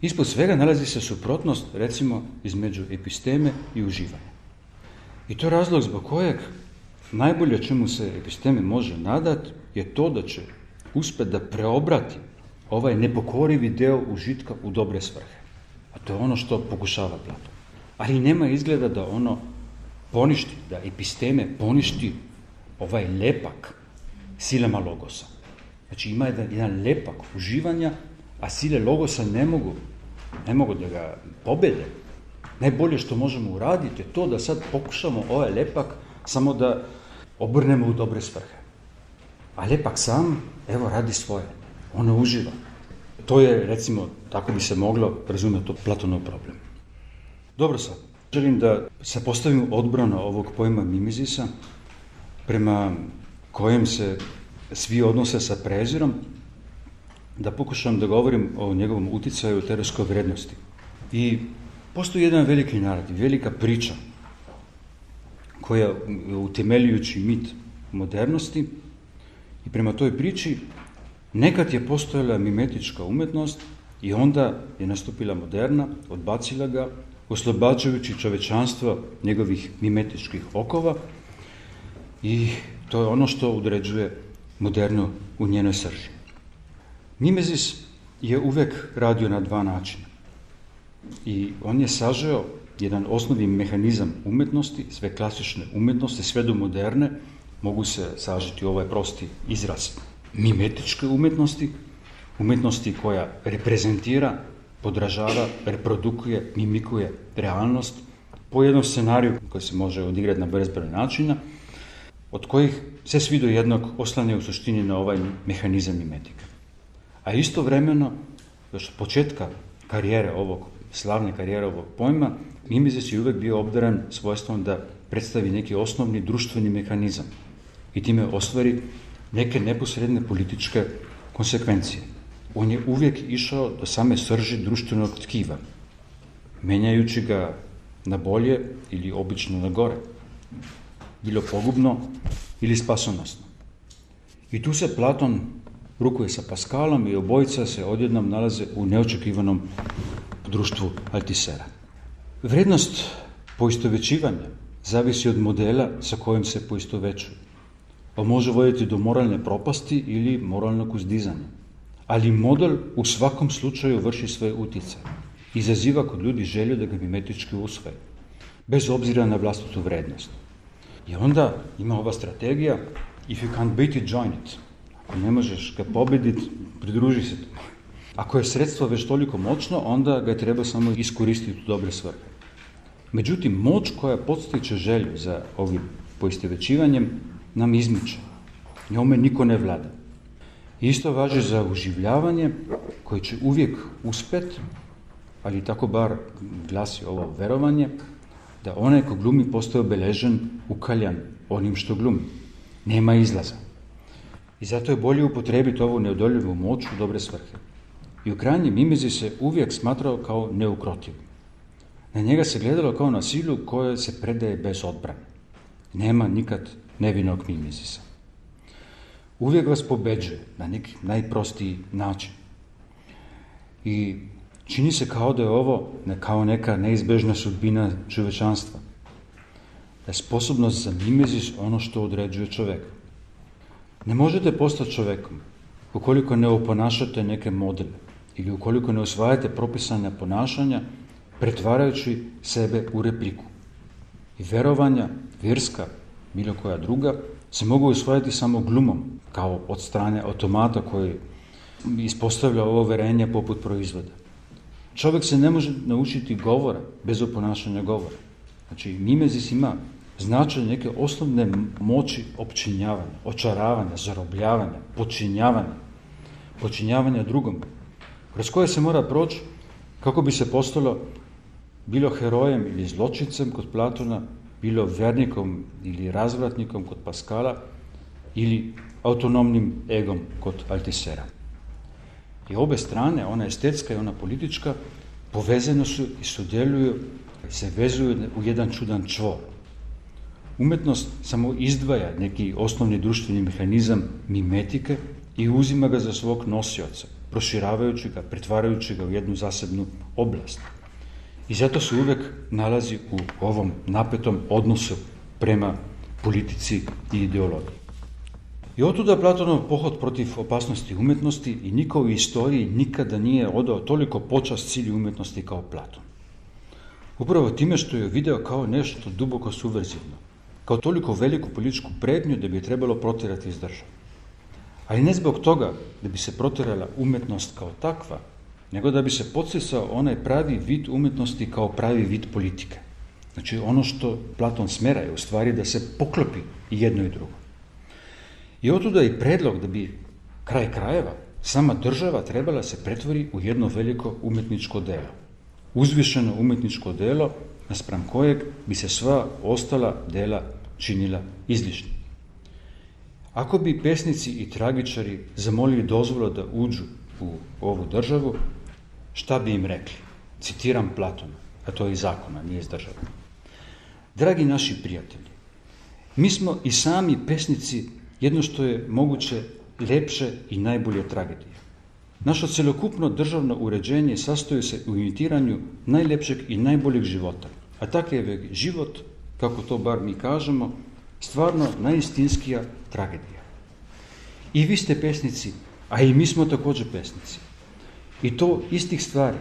Ispod svega nalazi se suprotnost, recimo, između episteme i uživanja. I to je razlog zbog kojeg najbolje čemu se episteme može nadati je to da će uspjeti da preobrati ovaj nepokorivi deo užitka u dobre svrhe. A to je ono što pokušava Platon. Ali nema izgleda da ono poništi, da episteme poništi ovaj lepak silama logosa. Znači ima jedan lepak uživanja, a sile logosa ne mogu da ga pobede. Najbolje što možemo uraditi je to da sad pokušamo ovaj lepak samo da obrnemo u dobre svrhe. A lepak sam, evo, radi svoje. Ono uživa. To je, recimo, tako bi se moglo razumjeti Platonov problem. Dobro sad, želim da se postavim odbrana ovog pojma mimezisa, prema kojem se svi odnose sa prezirom, da pokušam da govorim o njegovom uticaju u teoretskoj vrednosti. I postoji jedan veliki narativ, velika priča, koja utemeljujući mit modernosti, i prema toj priči nekad je postojala mimetička umetnost i onda je nastupila moderna, odbacila ga, oslobađajući čovečanstvo njegovih mimetičkih okova, i to je ono što određuje modernu u njenoj srži. Mimezis je uvek radio na dva načina i on je sažeo jedan osnovni mehanizam umetnosti, sve klasične umetnosti, sve do moderne, mogu se sažiti u ovaj prosti izraz mimetičke umetnosti koja reprezentira, podražava, reprodukuje, mimikuje realnost po jednom scenariju koji se može odigrati na bezbroj načina, od kojih se svi do jednog oslanjaju u suštini na ovaj mehanizam mimetike. A istovremeno, još od početka slavne karijere ovog pojma, mimezis je uvijek bio obdaran svojstvom da predstavi neki osnovni društveni mehanizam i time ostvari neke neposredne političke konsekvencije. On je uvijek išao do same srži društvenog tkiva, menjajući ga na bolje ili obično na gore, bilo pogubno ili spasonosno. I tu se Platon rukuje sa Pascalom i obojica se odjednom nalaze u neočekivanom društvu Altisera. Vrednost poistovjećivanja zavisi od modela sa kojim se poistovjećuje. On može voditi do moralne propasti ili moralnog uzdizanja. Ali model u svakom slučaju vrši svoj utjecaj. Izaziva kod ljudi želju da ga mimetički usvoje, bez obzira na vlastitu vrednost. I onda ima ova strategija, if you can't beat it, join it. Ako ne možeš ga pobjediti, pridruži se tomu. Ako je sredstvo već toliko moćno, onda ga treba samo iskoristiti u dobre svrhe. Međutim, moć koja podstiče želju za ovim poistovjećivanjem nam izmiče. Njome niko ne vlada. Isto važi za uživljavanje koje će uvijek uspjeti, ali tako bar glasi ovo verovanje, da onaj ko glumi postaje obeležen, ukaljan onim što glumi. Nema izlaza. I zato je bolje upotrijebiti ovu neodoljivu moć u dobre svrhe. I u krajnjem mimezis se uvijek smatrao kao neukrotiv. Na njega se gledalo kao na silu koja se predaje bez odbrane. Nema nikad nevinog mimezisa. Uvijek vas pobeđuje na neki najprostiji način. I čini se kao da je ovo kao neka neizbežna sudbina čovječanstva. Da je sposobnost za mimezis ono što određuje čovjeka. Ne možete postati čovjekom ukoliko ne oponašate neke modele ili ukoliko ne usvajate propisana ponašanja pretvarajući sebe u repliku. I verovanja, vjerska, bilo koja druga, se mogu usvajati samo glumom, kao od strane automata koji ispostavlja ovo verenje poput proizvoda. Čovjek se ne može naučiti govora bez oponašanja govora. Znači, mimezis ima značaj neke osnovne moći opčinjavanja, očaravanja, zarobljavanja, počinjavanja drugom, kroz koje se mora proći kako bi se postalo bilo herojem ili zločincem kod Platona, bilo vernikom ili razvratnikom kod Pascala ili autonomnim egom kod Altisera. I obe strane, ona estetska i ona politička, povezane su i sudjeluju, se vezuju u jedan čudan čvor. Umjetnost samo izdvaja neki osnovni društveni mehanizam mimetike i uzima ga za svog nosioca, proširavajući ga, pretvarajući ga u jednu zasebnu oblast. I zato se uvijek nalazi u ovom napetom odnosu prema politici i ideologiji. I otuda Platonov pohod protiv opasnosti umjetnosti i niko u istoriji nikada nije odao toliko počast cilju umjetnosti kao Platon. Upravo time što je video kao nešto duboko subverzivno, kao toliko veliku političku prednju da bi je trebalo protjerati iz države. Ali ne zbog toga da bi se protjerala umjetnost kao takva, nego da bi se podsticao onaj pravi vid umjetnosti kao pravi vid politike. Znači ono što Platon smjera je u stvari da se poklopi i jedno i drugo. I otuda i predlog da bi kraj krajeva sama država trebala se pretvori u jedno veliko umjetničko delo. Uzvišeno umjetničko delo naspram kojeg bi se sva ostala dela činila izlišnim. Ako bi pesnici i tragičari zamolili dozvolu da uđu u ovu državu, šta bi im rekli? Citiram Platona, a to je iz zakona, nije iz države. Dragi naši prijatelji, mi smo i sami pesnici jedno što je moguće ljepše i najbolje tragedije. Naše cjelokupno državno uređenje sastoji se u imitiranju najljepšeg i najboljeg života, a takav je život, kako to bar mi kažemo, stvarno najistinskija tragedija. I vi ste pesnici, a i mi smo također pesnici. I to istih stvari.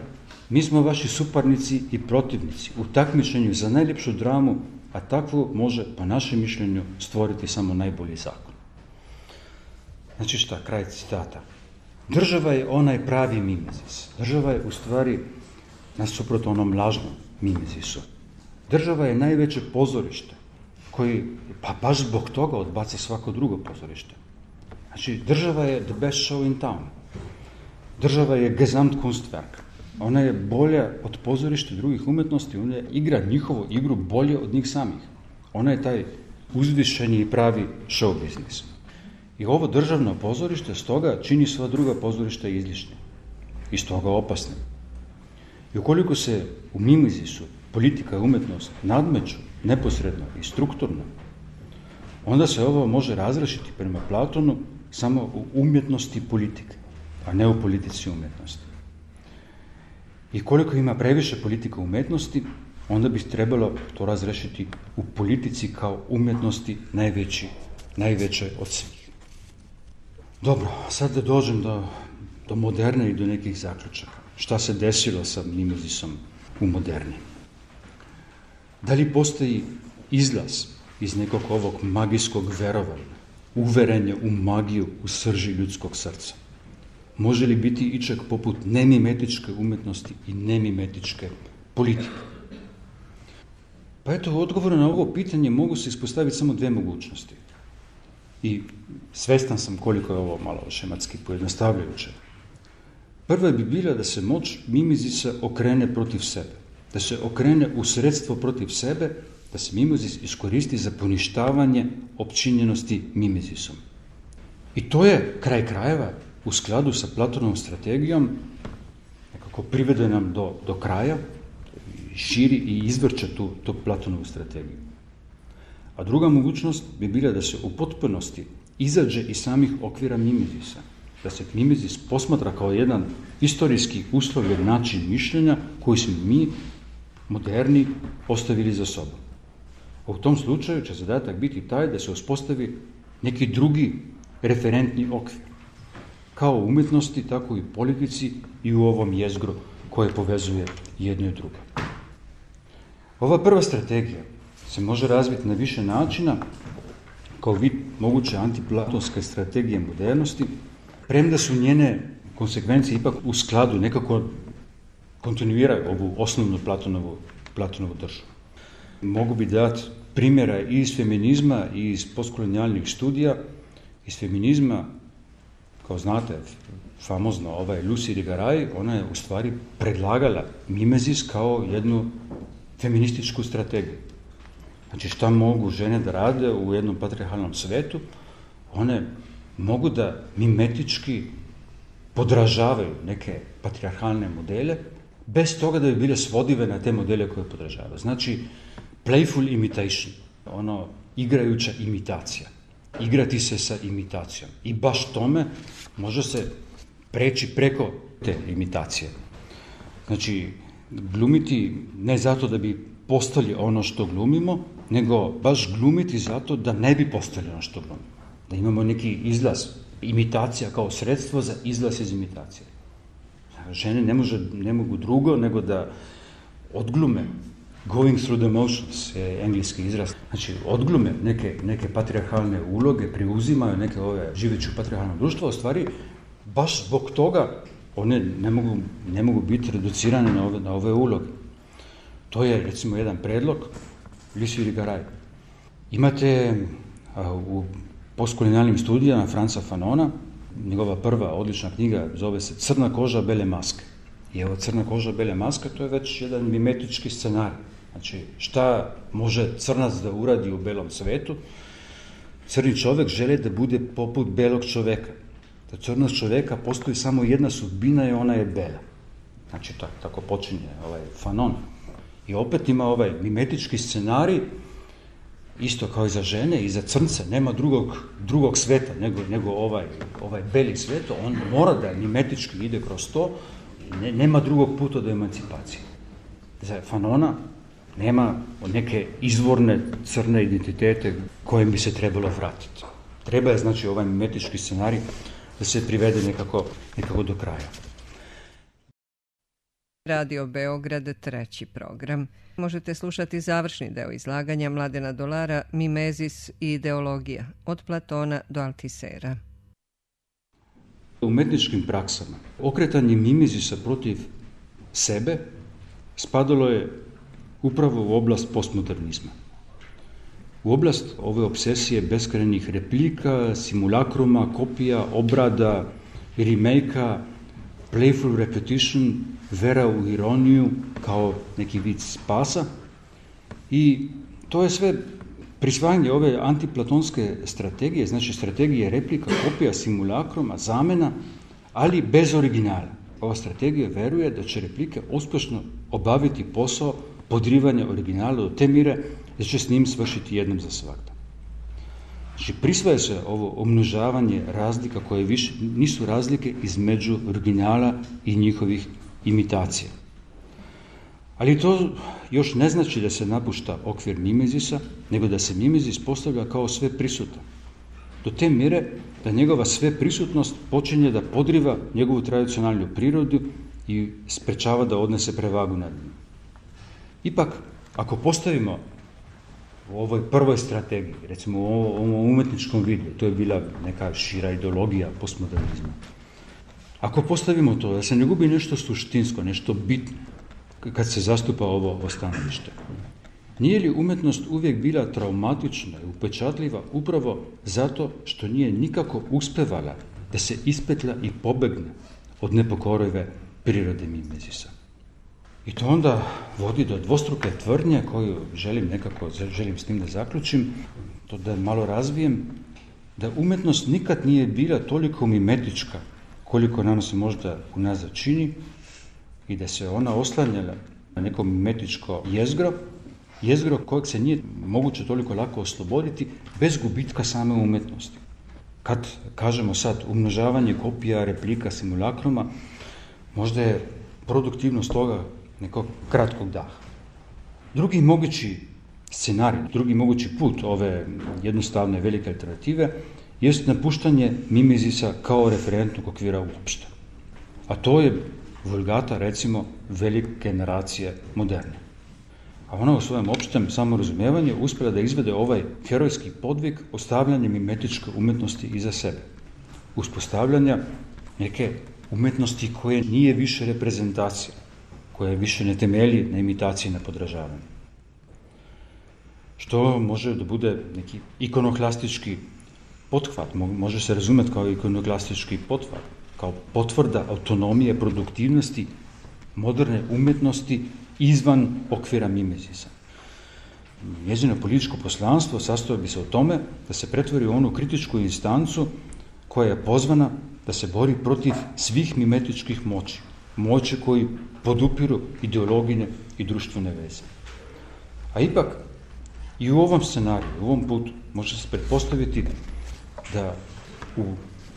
Mi smo vaši suparnici i protivnici u takmičenju za najljepšu dramu, a takvu može, po našem mišljenju, stvoriti samo najbolji zakon. Znači šta, kraj citata. Država je onaj pravi mimezis. Država je u stvari nasuprot onom lažnom mimezisu. Država je najveće pozorište koji, pa baš zbog toga odbaca svako drugo pozorište. Znači, država je the best show in town. Država je Gesamtkunstwerk. Ona je bolja od pozorišta drugih umjetnosti, ona igra njihovu igru bolje od njih samih. Ona je taj uzvišeni i pravi show biznis. I ovo državno pozorište stoga čini sva druga pozorišta izlišnim i stoga opasnim. I ukoliko se u Mimezisu politika i umjetnost nadmeću neposredno i strukturno, onda se ovo može razrešiti prema Platonu samo u umjetnosti politike, a ne u politici umjetnosti. I koliko ima previše politika umjetnosti, onda bi trebalo to razrešiti u politici kao umjetnosti najveće od svih. Dobro, sad da dođem do moderne i do nekih zaključaka. Šta se desilo sa Mimezisom u moderni? Da li postoji izlaz iz nekog ovog magijskog verovanja, uverenja u magiju u srži ljudskog srca? Može li biti ičeg poput nemimetičke umjetnosti i nemimetičke politike? Pa eto, u odgovoru na ovo pitanje mogu se ispostaviti samo dvije mogućnosti. I svestan sam koliko je ovo malo šematski pojednostavljajuće. Prva bi bila da se moć Mimezisa okrene protiv sebe, da se okrene u sredstvo protiv sebe, da se Mimezis iskoristi za poništavanje opčinjenosti Mimezisom. I to je kraj krajeva u skladu sa Platonovom strategijom, nekako privede nam do kraja, širi i izvrće tu Platonovu strategiju. A druga mogućnost bi bila da se u potpunosti izađe iz samih okvira Mimezisa, da se Mimezis posmatra kao jedan istorijski uslovljen način mišljenja koji smo mi, moderni, ostavili za sobom. A u tom slučaju će zadatak biti taj da se uspostavi neki drugi referentni okvir, kao u umjetnosti, tako i u politici i u ovom jezgru koje povezuje jedno i drugo. Ova prva strategija se može razviti na više načina kao vid moguće antiplatonske strategije modernosti, premda su njene konsekvencije ipak u skladu, nekako kontinuiraju ovu osnovnu Platonovu državu. Mogu bi dati primjera i iz feminizma i iz postkolonijalnih studija. Iz feminizma, kao znate, famozno Lucy Irigaray, ona je u stvari predlagala Mimezis kao jednu feminističku strategiju. Znači, šta mogu žene da rade u jednom patrijarhalnom svetu? One mogu da mimetički podražavaju neke patrijarhalne modele, bez toga da bi bile svodive na te modele koje podražavaju. Znači, playful imitation, igrajuća imitacija. Igrati se sa imitacijom. I baš tome može se preći preko te imitacije. Znači, glumiti ne zato da bi postali ono što glumimo, nego baš glumiti zato da ne bi postali ono što glumimo. Da imamo neki izlaz, imitacija kao sredstvo za izlaz iz imitacije. Žene ne mogu drugo nego da odglume going through the motions, je engleski izraz. Znači, odglume neke patrijarhalne uloge, preuzimaju neke živeći u patrijarhalnom društvu, u stvari, baš zbog toga one ne mogu biti reducirane na ove uloge. To je, recimo, jedan predlog Lucy Irigaray. Imate u postkolonijalnim studijama Franza Fanona, njegova prva odlična knjiga zove se Crna koža, bele maske. I evo, crna koža, bele maske, to je već jedan mimetički scenarij. Znači, šta može crnac da uradi u belom svetu? Crni čovjek želi da bude poput belog čovjeka. Da crnog čovjeka postoji samo jedna sudbina i ona je bela. Znači, tako počinje Fanon. I opet ima mimetički scenarij, isto kao i za žene i za crnce, nema drugog sveta nego ovaj beli svet, on mora da mimetički ide kroz to, nema drugog puta do emancipacije. Za Fanona nema neke izvorne crne identitete kojim bi se trebalo vratiti. Treba je, znači, ovaj mimetički scenarij da se privede nekako do kraja. Radio Beograd, treći program. Možete slušati završni deo izlaganja Mladena Dolara Mimezis i ideologija, od Platona do Altisera. U umetničkim praksama okretanje Mimezisa protiv sebe spadalo je upravo u oblast postmodernizma. U oblast ove obsesije beskrajnih replika, simulakruma, kopija, obrada, remake-a, playful repetition, vera u ironiju kao neki vid spasa. I to je sve prisvajanje ove antiplatonske strategije, znači strategije replika, kopija, simulakruma, zamena, ali bez originala. Ova strategija veruje da će replike uspješno obaviti posao podrivanja originala do te mire da će s njim svršiti jednom za svakda. Znači, prisvaja se ovo umnožavanje razlika koje više nisu razlike između originala i njihovih imitacija. Ali to još ne znači da se napušta okvir mimezisa, nego da se mimezis postavlja kao sve prisutan. Do te mire da njegova sve prisutnost počinje da podriva njegovu tradicionalnu prirodu i sprečava da odnese prevagu nad njim. Ipak, ako postavimo u ovoj prvoj strategiji, recimo u ovom umetničkom vidu, to je bila neka šira ideologija postmodernizma, ako postavimo to da se ne gubi nešto suštinsko, nešto bitno, kad se zastupa ovo stanovište, nije li umetnost uvijek bila traumatična i upečatljiva upravo zato što nije nikako uspevala da se ispetlja i pobegne od nepokorive prirode mimezisa? I to onda vodi do dvostruke tvrdnje koju želim s tim da zaključim, to da malo razvijem, da umetnost nikad nije bila toliko mimetička koliko nam se možda unazad čini i da se ona oslanjala na neko mimetičko jezgro kojeg se nije moguće toliko lako osloboditi bez gubitka same umetnosti. Kad kažemo sad umnožavanje kopija, replika, simulakruma, možda je produktivnost toga nekog kratkog daha. Drugi mogući scenarij, drugi mogući put ove jednostavne velike alternative jest napuštanje mimezisa kao referentnog okvira uopšte. A to je vulgata, recimo, velike generacije moderne. A ona u svojem opštem samorazumijevanju uspjela da izvede ovaj herojski podvig ostavljanja mimetičke umetnosti iza sebe. Uspostavljanja neke umetnosti koje nije više reprezentacija, koja više ne temelji na imitaciji, na podražavanju. Što može da bude neki ikonoklastički pothvat, može se razumjeti kao ikonoklastički pothvat, kao potvrda autonomije, produktivnosti, moderne umetnosti izvan okvira mimezisa. Njezino političko poslanstvo sastoji bi se u tome da se pretvori u onu kritičku instancu koja je pozvana da se bori protiv svih mimetičkih moći koji podupiru ideologine i društvene veze. A ipak, i u ovom scenariju, u ovom putu, može se pretpostaviti da u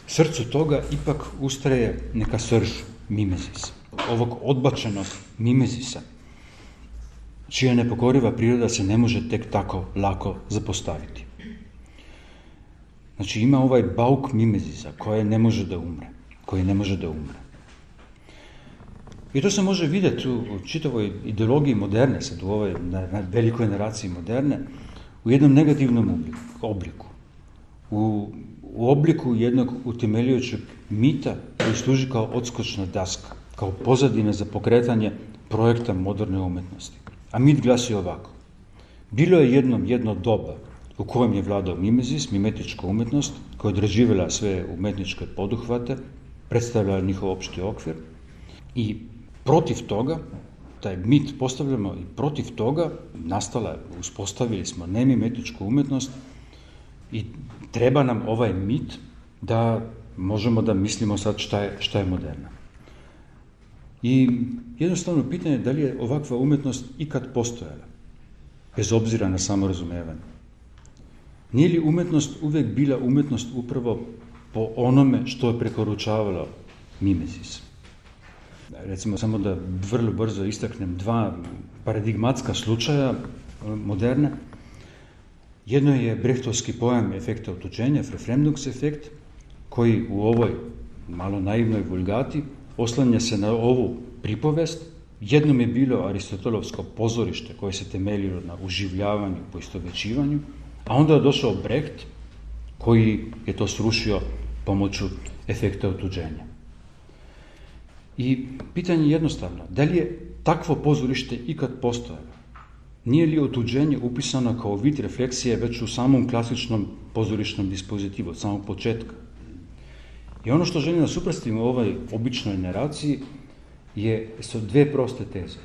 srcu toga ipak ustraje neka srž mimezisa, ovog odbačenog mimezisa, čija nepokoriva priroda se ne može tek tako lako zapostaviti. Znači, ima ovaj bauk mimezisa koji ne može da umre. I to se može vidjeti u čitavoj ideologiji moderne, sad u ovoj na velikoj generaciji moderne, u jednom negativnom obliku. U obliku jednog utemeljujućeg mita koji služi kao odskočna daska, kao pozadina za pokretanje projekta moderne umetnosti. A mit glasi ovako. Bilo je jedno doba u kojem je vladao mimezis, mimetička umetnost, koja je odrađivala sve umetničke poduhvate, predstavljala njihov opšti okvir i protiv toga, taj mit postavljamo i protiv toga uspostavili smo nemimetičku umetnost i treba nam ovaj mit da možemo da mislimo sad šta je moderna. I jednostavno pitanje je da li je ovakva umetnost ikad postojala, bez obzira na samorazumevanje. Nije li umetnost uvijek bila umetnost upravo po onome što je preporučavalo mimezis? Recimo, samo da vrlo brzo istaknem dva paradigmatska slučaja moderne. Jedno je brehtovski pojam efekta otuđenja, Verfremdungseffekt, koji u ovoj malo naivnoj vulgati oslanja se na ovu pripovest. Jednom je bilo aristotelovsko pozorište koje se temeljilo na uživljavanju, poistovećivanju, a onda je došao Brecht koji je to srušio pomoću efekta otuđenja. I pitanje je jednostavno, da li je takvo pozorište ikad postojalo? Nije li otuđenje upisano kao vid refleksije već u samom klasičnom pozorišnom dispozitivu, od samog početka? I ono što želim da suprotstavim u ovoj običnoj naraciji su dve proste teze.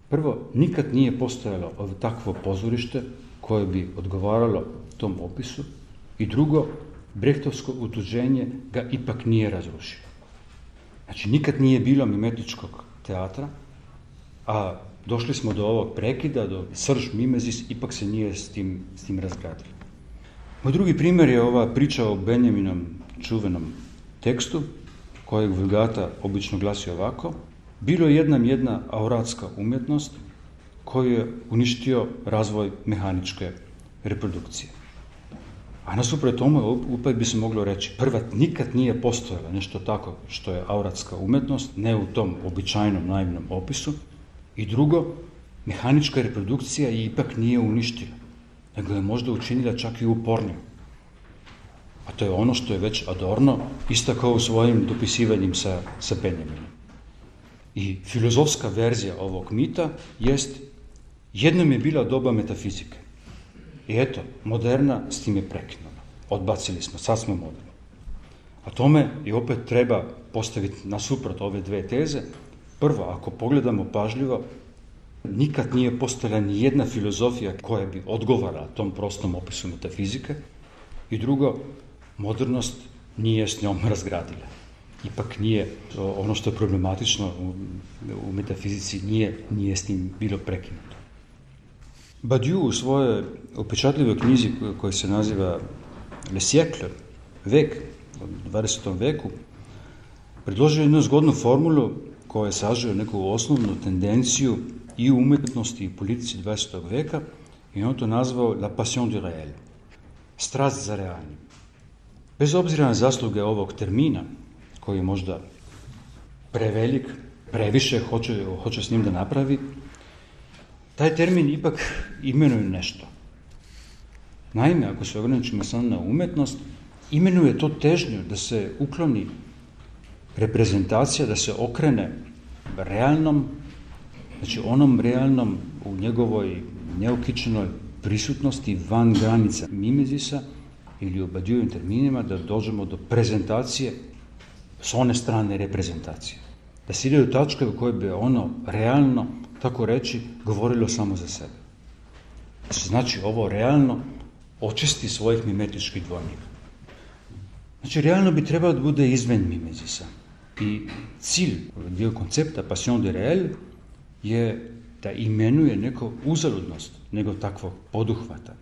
Prvo, nikad nije postojalo takvo pozorište koje bi odgovaralo tom opisu, i drugo, brehtovsko otuđenje ga ipak nije razrušilo. Znači, nikad nije bilo mimetičkog teatra, a došli smo do ovog prekida, do srž mimezis, ipak se nije s tim razgradilo. Moj drugi primjer je ova priča o Benjaminom čuvenom tekstu, kojeg Vulgata obično glasi ovako: bilo je jedna auratska umjetnost koju je uništio razvoj mehaničke reprodukcije. A nasuprot tome opet bi se moglo reći, prva, nikad nije postojalo nešto tako što je auratska umjetnost, ne u tom običajnom naivnom opisu, i drugo, mehanička reprodukcija je ipak nije uništila, nego je možda učinila čak i upornijom. A to je ono što je već Adorno istakao u svojim dopisivanjem sa Benjaminom. I filozofska verzija ovog mita jest: jednom je bila doba metafizike. I eto, moderna s tim je prekinula. Odbacili smo, sad smo moderni. A tome i opet treba postaviti nasuprot ove dve teze. Prvo, ako pogledamo pažljivo, nikad nije postojala ni jedna filozofija koja bi odgovarala tom prostom opisu metafizike. I drugo, modernost nije s njom razgradila. Ipak nije ono što je problematično u metafizici, nije s tim bilo prekinuto. Badiou u svojoj upečatljivoj knjizi koja se naziva Le siècle, vek, u 20. veku, predložio jednu zgodnu formulu koja sažuje neku osnovnu tendenciju i u umjetnosti i politici 20. veka, i on to nazvao la passion du réel, strast za realnim. Bez obzira na zasluge ovog termina, koji je možda prevelik, previše hoće s njim da napravi, taj termin ipak imenuje nešto. Naime, ako se ograničimo samo na umjetnost, imenuje to težnju da se ukloni reprezentacija, da se okrene realnom, znači onom realnom u njegovoj neokičenoj prisutnosti van granica mimezisa, ili u Badiouovim terminima da dođemo do prezentacije s one strane reprezentacije. Da se ide u tačke u kojoj bi ono realno, tako reći, govorilo samo za sebe. Znači, ovo realno očisti svojih mimetičkih dvojnika. Znači, realno bi trebalo da bude izven mimezisa. I cilj, dio koncepta passion de réel je da imenuje neko uzaludnost nego takvog poduhvata.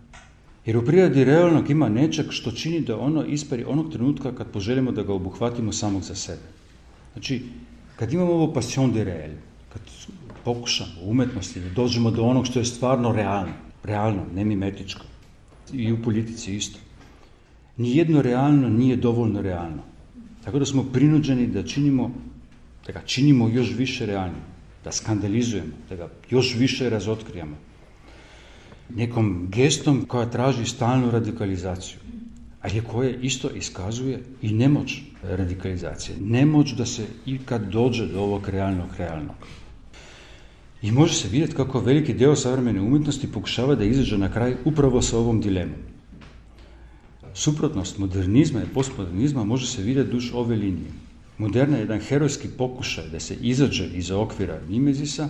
Jer u prirodi realnog ima nečeg što čini da ono ispari onog trenutka kad poželimo da ga obuhvatimo samog za sebe. Znači, kad imamo ovo passion de réel, kad pokušamo u umjetnosti da dođemo do onog što je stvarno realno, ne mimetičko, i u politici isto, nijedno realno nije dovoljno realno. Tako da smo prinuđeni da ga činimo još više realnim, da skandalizujemo, da ga još više razotkrijamo. Nekom gestom koja traži stalnu radikalizaciju, ali koje isto iskazuje i nemoć radikalizacije, nemoć da se ikad dođe do ovog realnog. I može se vidjeti kako veliki deo savremene umjetnosti pokušava da izađe na kraj upravo sa ovom dilemom. Suprotnost modernizma i postmodernizma može se vidjeti duž ove linije. Moderna je jedan herojski pokušaj da se izađe iza okvira mimezisa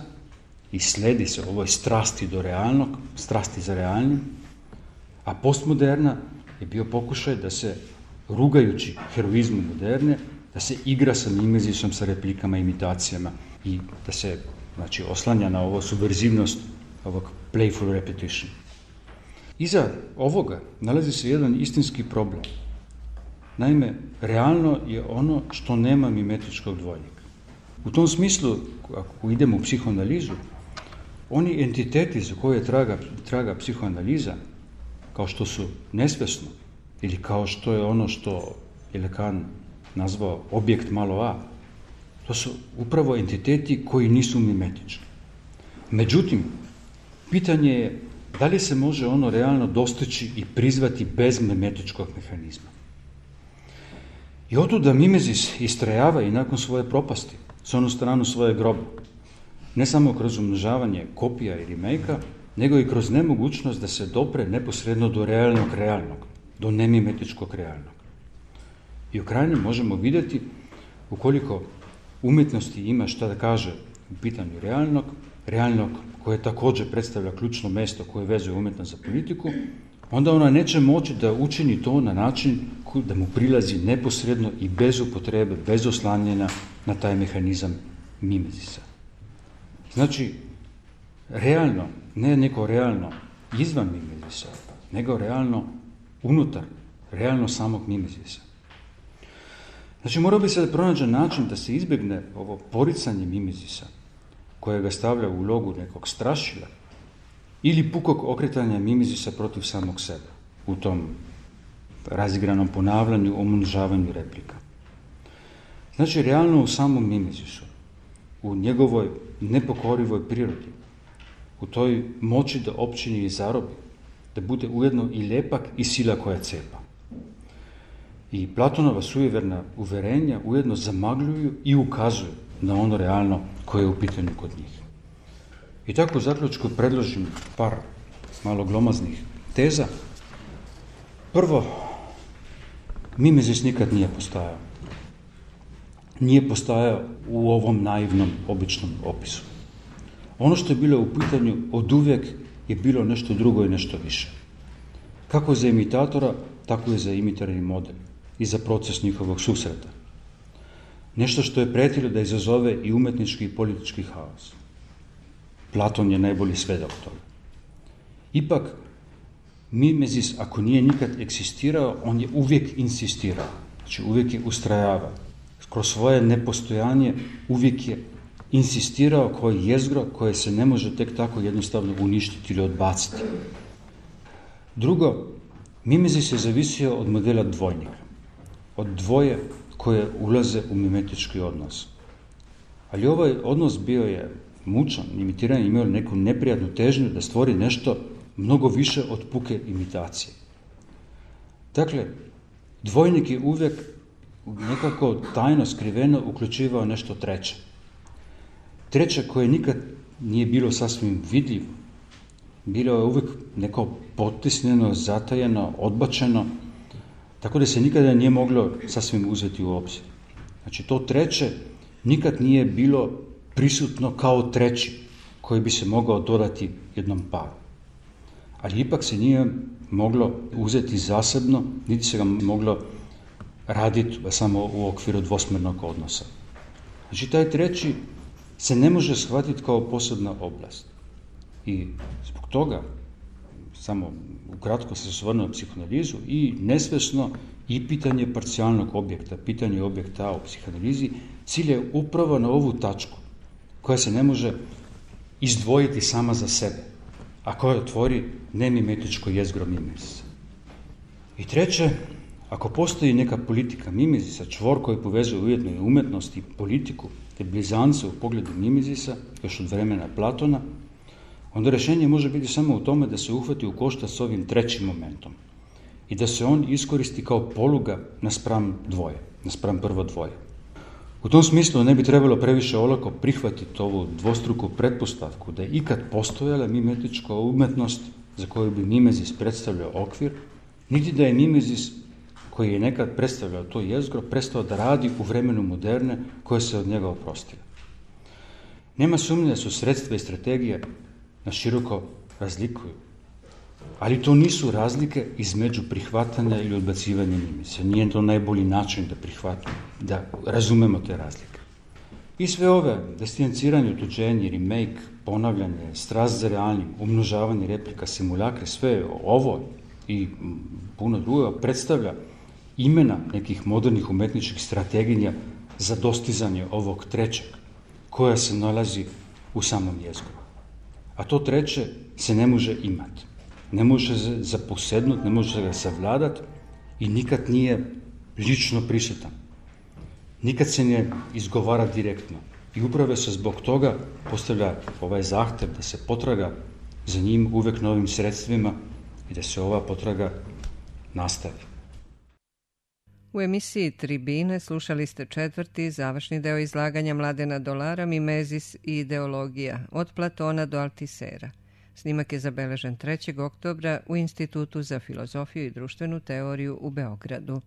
i sledi se ovoj strasti do realnog, strasti za realnim, a postmoderna je bio pokušaj da se, rugajući heroizmu moderne, da se igra sa mimezisom, sa replikama, imitacijama i da se, znači, oslanja na ovo subverzivnost, ovog playful repetition. Iza ovoga nalazi se jedan istinski problem. Naime, realno je ono što nema mimetičkog dvojnika. U tom smislu, ako idemo u psihoanalizu, oni entiteti za koje traga psihoanaliza, kao što su nesvesno, ili kao što je ono što je Lacan nazvao objekt malo a, to su upravo entiteti koji nisu mimetički. Međutim, pitanje je da li se može ono realno dostići i prizvati bez mimetičkog mehanizma. I otuda mimezis istrajava i nakon svoje propasti, s onu stranu svoje groba. Ne samo kroz umnožavanje kopija i remake-a, nego i kroz nemogućnost da se dopre neposredno do realnog, do nemimetičkog realnog. I u krajnjem možemo vidjeti ukoliko umjetnosti ima šta da kaže u pitanju realnog koje također predstavlja ključno mjesto koje vezuje umjetnost za politiku, onda ona neće moći da učini to na način da mu prilazi neposredno i bez upotrebe, bez oslanjanja na taj mehanizam mimezisa. Znači, realno, ne neko realno izvan mimezisa, nego realno unutar, realno samog mimezisa. Znači, morao bi se pronaći način da se izbjegne ovo poricanje mimezisa, koje ga stavlja u ulogu nekog strašila, ili pukog okretanja mimezisa protiv samog sebe, u tom razigranom ponavljanju, umnožavanju replika. Znači, realno u samom mimezisu, u njegovoj nepokorivoj prirodi, u toj moći da opčini i zarobi, da bude ujedno i lepak i sila koja cepa. I Platonova sujeverna uverenja ujedno zamagljuju i ukazuju na ono realno koje je u pitanju kod njih. I tako u zaključku predložim par malo glomaznih teza. Prvo, mimezis nikad nije postojao. Nije postojao u ovom naivnom, običnom opisu. Ono što je bilo u pitanju oduvijek je bilo nešto drugo i nešto više. Kako za imitatora, tako i za imitarni model i za proces njihovog susreta. Nešto što je pretilo da izazove i umetnički i politički haos. Platon je najbolji svedok toga. Ipak, mimezis, ako nije nikad eksistirao, on je uvijek insistirao. Znači, uvijek je ustrajavao. Kroz svoje nepostojanje uvijek je insistirao kao jezgro koje se ne može tek tako jednostavno uništiti ili odbaciti. Drugo, mimezis je zavisio od modela dvojnika. Od dvoje koje ulaze u mimetički odnos. Ali ovaj odnos bio je mučan, imitiranje imao neku neprijatnu težnju da stvori nešto mnogo više od puke imitacije. Dakle, dvojnik je uvijek nekako tajno, skriveno uključivao nešto treće. Treće koje nikad nije bilo sasvim vidljivo. Bilo je uvijek neko potisnjeno, zatajeno, odbačeno, tako da se nikada nije moglo sasvim uzeti u obzir. Znači, to treće nikad nije bilo prisutno kao treći koji bi se mogao dodati jednom paru. Ali ipak se nije moglo uzeti zasebno, niti se ga moglo raditi samo u okviru dvosmjernog odnosa. Znači, taj treći se ne može shvatiti kao posebna oblast. I zbog toga, samo ukratko se osvrnuo na psihoanalizu, i nesvjesno i pitanje parcijalnog objekta, pitanje objekta u psihoanalizi, cilj je upravo na ovu tačku, koja se ne može izdvojiti sama za sebe, a koja tvori nemimetičko jezgro mimezisa. I treće, ako postoji neka politika mimezisa, čvor koji povezuje ujedno i umjetnost i politiku, te blizance u pogledu mimezisa, još od vremena Platona, onda rješenje može biti samo u tome da se uhvati u koštac s ovim trećim momentom i da se on iskoristi kao poluga naspram prvo dvoje. U tom smislu ne bi trebalo previše olako prihvatiti ovu dvostruku pretpostavku da je ikad postojala mimetička umjetnost za koju bi mimezis predstavljao okvir, niti da je mimezis koji je nekad predstavljao to jezgro prestao da radi u vremenu moderne koje se od njega oprostilo. Nema sumnje da su sredstva i strategije na široko razlikuju, ali to nisu razlike između prihvatanja ili odbacivanja mimezisa. Nije to najbolji način da razumemo te razlike. I sve ove distanciranje, otuđenje, remake, ponavljanje, strast za realnim, umnožavanje replika, simulakre, sve ovo i puno drugo predstavlja imena nekih modernih umetničkih strategija za dostizanje ovog trećeg, koja se nalazi u samom jezgru. A to treće se ne može imati. Ne može se zaposednuti, ne može ga savladati i nikad nije lično prisutan. Nikad se ne izgovara direktno. I upravo se zbog toga postavlja ovaj zahtjev da se potraga za njim uvijek novim sredstvima i da se ova potraga nastavi. U emisiji Tribine slušali ste četvrti završni deo izlaganja Mladena Dolara, Mimezis i ideologija, od Platona do Altisera. Snimak je zabeležen 3. oktobra u Institutu za filozofiju i društvenu teoriju u Beogradu.